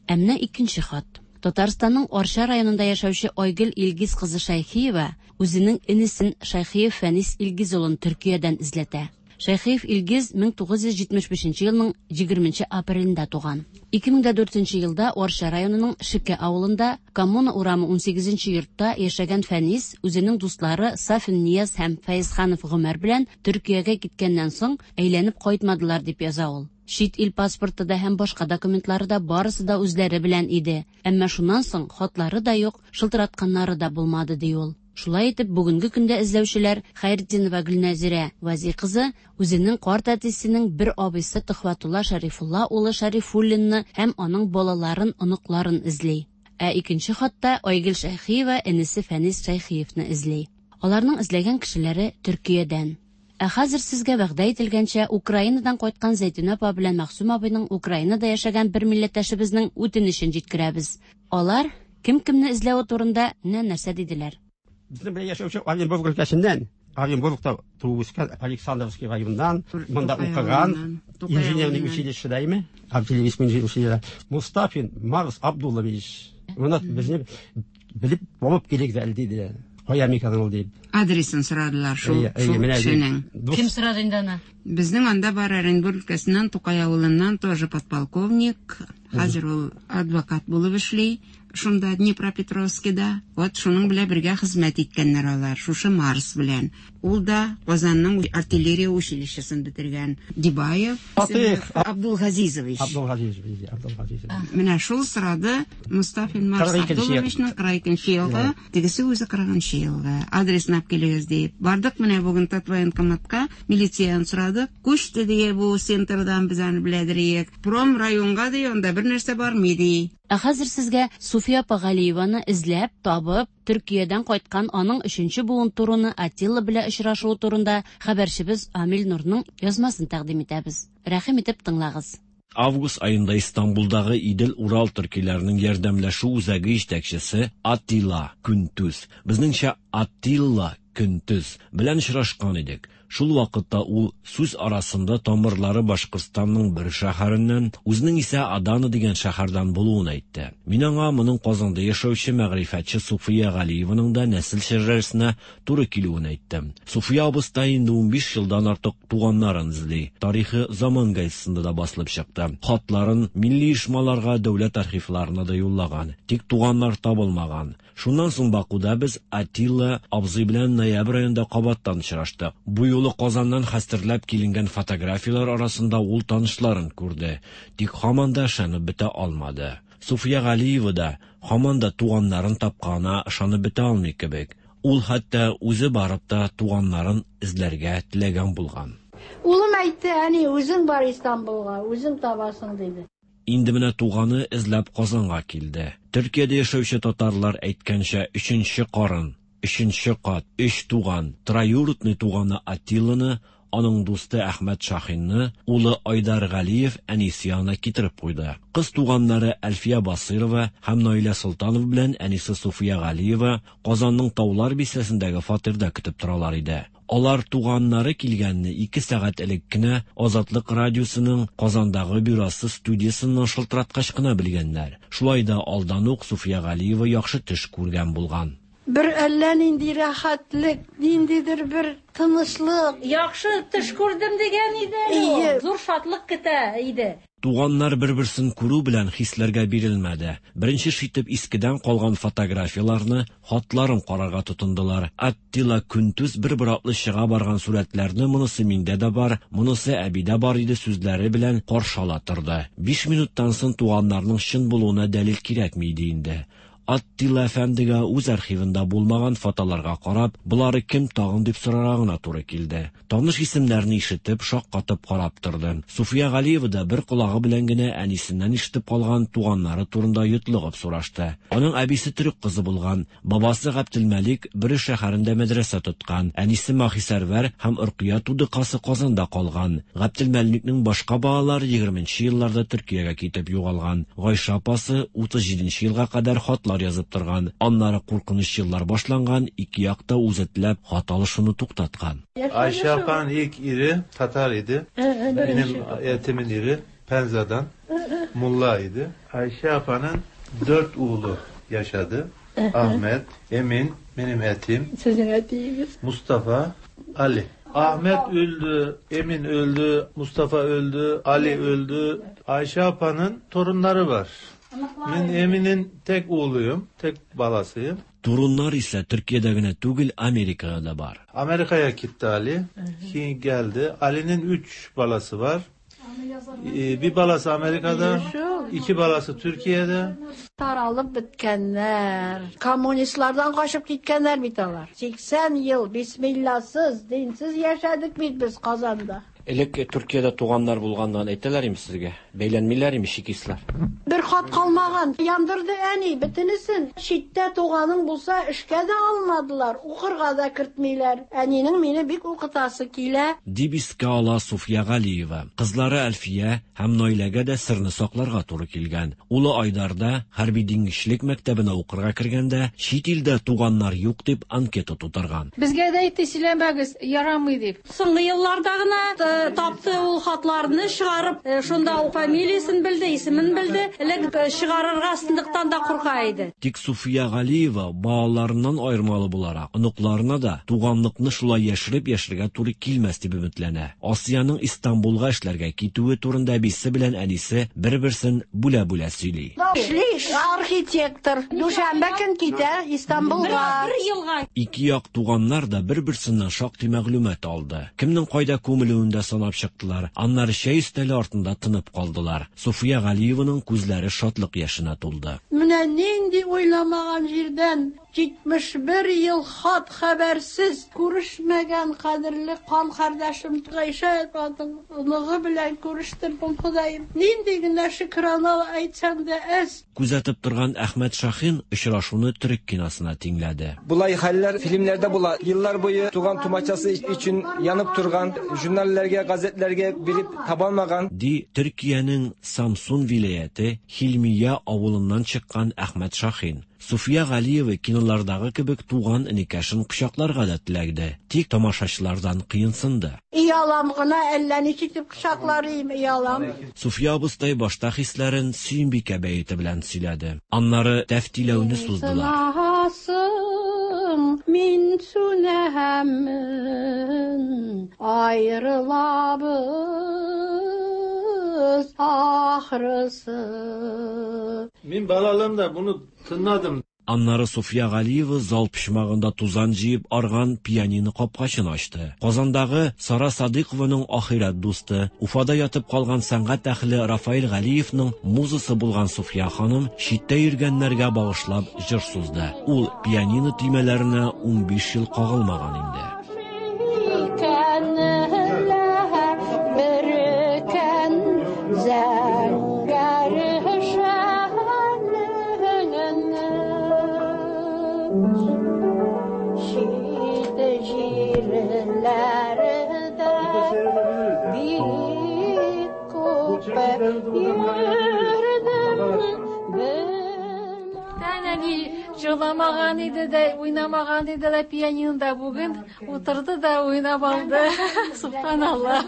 Ә менә икенче хат. Татарстанның Арча районында яшәүче Айгөл Илгиз кызы Шәйхиева үзенең энесен Шәйхиев Фәнис Илгиз улын Төркиядән эзләтә. Шәйхиев Илгиз мең тугыз йөз җитмеш бишенче елның егерменче апрелендә туган. Ике мең дә дүртенче елда Арча районының Шеке авылында Коммуна урамы унсигезенче йортта яшәгән Фәнис үзенең дуслары Сафин Нияз һәм Фәйзханов Гомәр белән Төркиягә киткәннән соң әйләнеп кайтмадылар, дип яза ул. Чит ил паспорты да һәм башка документлары да барысы да үзләре белән иде. Әмма шуннан соң хатлары да юк, шылтыратканнары да булмады, ди ул. Шулай итеп, бүгенге көндә эзләүчеләр Хәйретдинова Гөлнәзирә Вази кызы үзенең карт әтисенең бер абыйсы Төхвәтулла Шәрифулла улы Шәрифуллинны һәм аның балаларын, оныкларын эзли. Ә икенче хатта Айгөл Шәйхиева энесе Фәнис Шәйхиевны эзли. Аларның эзләгән кешеләре Төркиядән. Ә хәзер сезгә вәгъдә ителгәнчә Украинадан кайткан Зәйтүнә апа белән Мәгъсүм абыйның Украинада яшәгән бер милләттәшебезнең үтенечен җиткерәбез. Алар кем кемне эзләве турында менә нәрсә диделәр. Безнең белән яшәүче Оренбург өлкәсеннән, Оренбургта туып үскән Александровский районыннан, монда укыган, инженерный училищеда име, артиллерийский инженерный училищеда Мустафин Марс Абдуллович. Моны безне белеп булып килик әле диде. Кая микән ул дип. Адресын сорадылар шул кешенең. Кем сорады инде аны? Безнең анда бар Оренбург өлкәсеннән, Тукай авылыннан тоже подполковник, хәзер ул адвокат булып эшли. Шунда Днепропетровскида, вот шуның белән бергә хезмәт иткәннәр алар, шушы Марс белән. Ул да Казанның артиллерия училищесын бетергән. Дибаев Фатих Абдулгазизович. Абдулгазизович, Абдулгазизович. Менә шул сорады Мустафин Марс Абдулловичның кырык икенче елгы, тегесе үзе кырыгынчы елгы. Адресын алып килегез дип. Бардык менә бүген Татвоенкоматка, милицияны сорадык. Күчте дие бу центрдан, без аны беләдерик. Пром районга ди, анда бер нәрсә бармый ди. Ә хәзер сезгә Суфия апа Галиеваны эзләп, табып, Төркиядән кайткан аның өченче буын туруны Атилла белән очрашуы турында хәбәрчебез Амил Нурның язмасын тәкъдим итәбез. Рәхим итеп тыңлагыз. Август айында Истанбулдагы Идел-Урал төркиләренең ярдәмләшү үзәге җитәкчесе Атилла Күнтүз, безнеңчә Атилла Күнтүз белән очрашкан идек. Шул вакытта ул сүз арасында тамырлары Башкортстанның бер шәһәреннән, үзенең исә Адана дигән шәһәрдән булуын әйтте. Мин аңа моның Казанда яшәүче мәгърифәтче Суфия Галиеваның да нәсел шәҗәрәсенә туры килүен әйттем. Суфия абыстай инде унбиш елдан артык туганнарын эзли. Тарихы Заман газетасында да басылып чыкты. Хатларын милли оешмаларга, дәүләт архивларына да юллаган. Тик туганнар табылмаган. Шуннан соң Бакуда без Атилла абзый белән ноябрь аенда кабаттан очраштык. Бу юлы Казаннан хәстерләп киленгән фотографияләр арасында ул танышларын күрде. Тик һаман да ышанып бетә алмады. Суфия Галиева да һаман да туганнарын тапканына ышанып бетә алмый кебек. Ул хәтта үзе барып та туганнарын эзләргә теләгән булган. Улым әйтте, әни, үзең бар Истанбулга, үзең табасың, диде. Инде менә туганы эзләп Казанга килде. Төркиядә яшәүче татарлар әйткәнчә, өченче карын, өченче кат, өч туган, троюродный туганы Атилланы, аның дусты Әхмәт Шахинны, улы Айдар Галиев әнисе янына китереп куйды. Кыз туганнары Әлфия Басырова һәм Наилә Солтанова белән әнисе Суфия Галиева Казанның Таулар бистәсендәге фатирда көтеп торалар иде. Алар туганнары килгәнне ике сәгать элек кенә Азатлык радиосының Казандагы бюросы студиясеннән шылтыраткач кына белгәннәр. Шулай да алдан ук Суфия Галиева яхшы төш күргән булган. Бер әллә нинди рәхәтлек, ниндидер бер тынычлык. Яхшы төш күрдем дигән иде ул. Зур шатлык көтә иде. Туганнар бер-берсен күрү белән хисләргә бирелмәде. Беренче итеп искедән калган фотографияләрне, хатларын карарга тотындылар. Аттила Күнтүз бер-бер атлы чыга барган сурәтләрне монысы миндә дә бар, монысы әбидә бар иде сүзләре белән каршы ала торды. Биш минуттан соң туганнарның чын булуына дәлил кирәкми иде инде. Аттила әфәндегә үз архивында булмаган фотоларга карап, болары кем тагын дип сорарга гына туры килде. Таныш исемнәрне ишетеп, шаккатып карап торды. Суфия Галиева да бер колагы белән генә әнисеннән ишетеп калган туганнары турында йотлыгып сорашты. Аның әбисе төрек кызы булган, бабасы Габделмәлик Бөре шәһәрендә мәдрәсә тоткан, әнисе Махисәрвәр һәм Оркыя тудыкасы Казанда калган. Габделмәликнең башка балалары егерменче елларда Төркиягә китеп югалган. Гайшә апасы утыз җиденче елга кадәр хатлар язып торган. Аннары куркыныч еллар башланган, ике якта үзе теләп хат алышуны туктаткан. Ayşe apanın ilk iri Tatar idi. Benim etimin iri Penza'dan Mulla idi. Ayşe apanın dört oğlu yaşadı. Ahmet, Emin, benim etim. Sizin etiniz. Mustafa, Ali. Ahmet öldü, Emin öldü, Mustafa öldü, Ali öldü. Ayşe apanın torunları var. Ben Emin'in tek oğluyum, tek balasıyım. Torunlar ise Türkiye'de gene түгел, Amerika'da da var. Amerika'ya gitti Ali. Ki geldi. Ali'nin üç balası var. Ee, bir balası Amerika'da, iki balası Türkiye'de. Таралып беткәннәр. Коммунистлардан качып киткәннәр бит алар. Сиксән ел бисмилласыз, динсез яшәдек бит без Казанда. Элек Төркиядә туганнар булганлыгын әйтәләр име сезгә? Бәйләнмиләр име чекистлар? Бер хат калмаган. Яндырды әни бөтенесен. Читтә туганың булса эшкә дә алмадылар, укырга да кертмиләр. Әнинең мине бик укытасы килә. Дип искә ала Суфия Галиева. Кызлары Әлфия һәм Наиләгә дә серне сакларга туры килгән. Улы Айдарда хәрби диңгезчелек мәктәбенә укырга кергәндә чит илдә туганнар юк дип анкета тутырган. Безгә дә әйтте, сөйләмәгез, ярамый дип. Соңгы елларда гына тапты ул хатларны чыгарып, шунда ул фамилиясен белде, исемен белде. Элек чыгарырга сындыктан да курка иде. Тик Суфия Галиева балаларыннан аермалы буларак, оныкларына да туганлыкны шулай яшереп яшәргә туры килмәс дип өметләнә. Асияның Истанбулга эшләргә китүе турында әбисе белән әнисе бер-берсен бүлә-бүлә сөйли. Эшли архитектор. Дүшәмбе көн китә Истанбулга. Бер елга. Ике як туганнар да бер-берсеннән шактый мәгълүмат алды. Кемнең кайда күмелүен дә санап чыктылар. Аннары чәй өстәле артында тынып калдылар. Суфия Галиеваның күзләре шатлык яшенә тулды. Менә нинди уйламаган җирдән җитмеш бер ел хат хәбәрсез күрешмәгән кадерле кан кардәшем Гайшә апаның оныгы белән күрештердем, Ходаем. Нинди генә шөкрана әйтсәм дә әз. Күзәтеп торган Әхмәт Шахин очрашуны төрек киносына тиңләде. Булай хәлләр фильмләрдә була. Еллар буе туган тумачасы өчен янып торган, журналларга, газетләргә биреп табалмаган. Ди Төркиянең Самсун вилаяте Хилмия авылыннан чыккан Әхмәт Шахин. Суфия Галиева кинолардагы кебек туган энекәшен кочакларга да теләгде. Тик тамашачылардан кыенсынды. Иялам гына әллә ничек итеп кочаклар идем, иялам. Суфия абыстай башта хисләрен Сөембикә бәете белән сөйләде. Аннары тәфтиләүне суздылар. Мин сүнәмен, ayrılabız ahırısı. Min balalığımda bunu tınladım. Аннары Суфия Галиева зал почмагында тузан җыеп арган пианино капкачын ачты. Казандагы Сара Садыйкованың ахирәт дусты, Уфада ятып калган сәнгать әһле Рафаэль Галиевның музасы булган Суфия ханым читтә йөргәннәргә багышлап җыр сузды. Ул пианино төймәләренә унбиш ел кагылмаган инде. Әни җырламаган иде дә, уйнамаган иде дә пианинода бүген утырды да уйнап алды. Субханалла.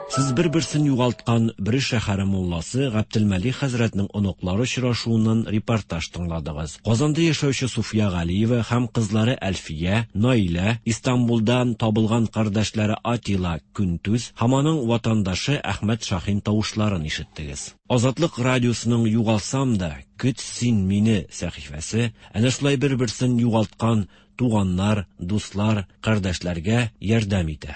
Сез бер-берсен югалткан Бөре шәһәре мулласы Габделмәлик хәзрәтнең оныклары очрашуыннан репортаж тыңладыгыз. Казанда яшәүче Суфия Галиева һәм кызлары Әлфия, Наилә, Истанбулдан табылган кардәшләре Атила Күнтүз һәм аның ватандашы Әхмәт Шахин тавышларын ишеттегез. Азатлык радиосының Югалсам да, көт син мине сәхифәсе әнә шулай бер-берсен югалткан туганнар, дуслар, кардәшләргә ярдәм итә.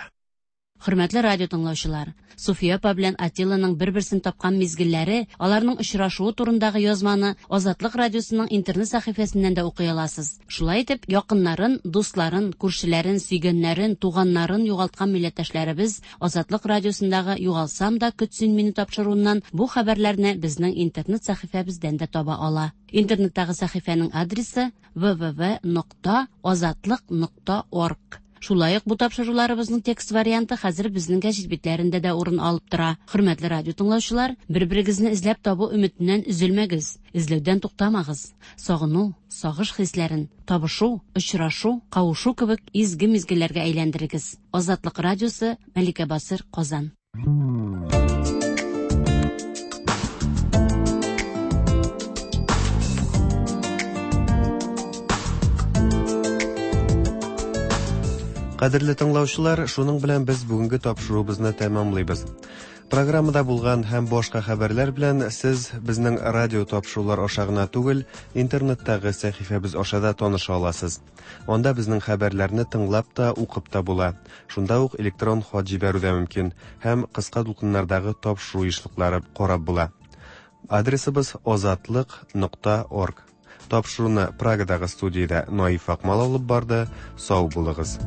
Хөрмәтле радио тыңлаучылар, Суфия апа белән Атилланың бер-берсен тапкан мизгелләре, аларның очрашуы турындагы язманы Азатлык радиосының интернет сәхифәсеннән дә укый аласыз. Шулай итеп, якыннарын, дусларын, күршеләрен, сөйгәннәрен, туганнарын югалткан милләттәшләребез Азатлык радиосындагы Югалсам да көт син мине тапшыруыннан бу хәбәрләрне безнең интернет сәхифәбездән дә таба ала. Интернеттагы сәхифәнең адресы вэ вэ вэ нокта азатлык нокта орг. Шулай ук бу тапшыруларыбызның текст варианты хәзер безнең гәҗит битләрендә дә урын алып тора. Хөрмәтле радио тыңлаучылар, бер-берегезне эзләп табу өметеннән өзелмәгез, эзләүдән туктамагыз. Сагыну, сагыш хисләрен табышу, очрашу, кавышу кебек изге мизгелләргә әйләндерегез. Азатлык радиосы, Мәликә Басыр, Казан. Кадерле тыңлаучылар, шуның белән без бүгенге тапшыруыбызны тәмамлыйбыз. Программада булган һәм башка хәбәрләр белән сез безнең радио тапшырулар аша гына түгел, интернеттагы сәхифәбез аша да таныша аласыз. Анда безнең хәбәрләрне тыңлап та, укып та була. Шунда ук электрон хат җибәрү дә мөмкин һәм кыска дулкыннардагы тапшыру ешлыклары карап була. Адресыбыз азатлык нокта орг. Тапшыруны Прагадагы студиядә Наиф Акмал алып барды. Сау булыгыз.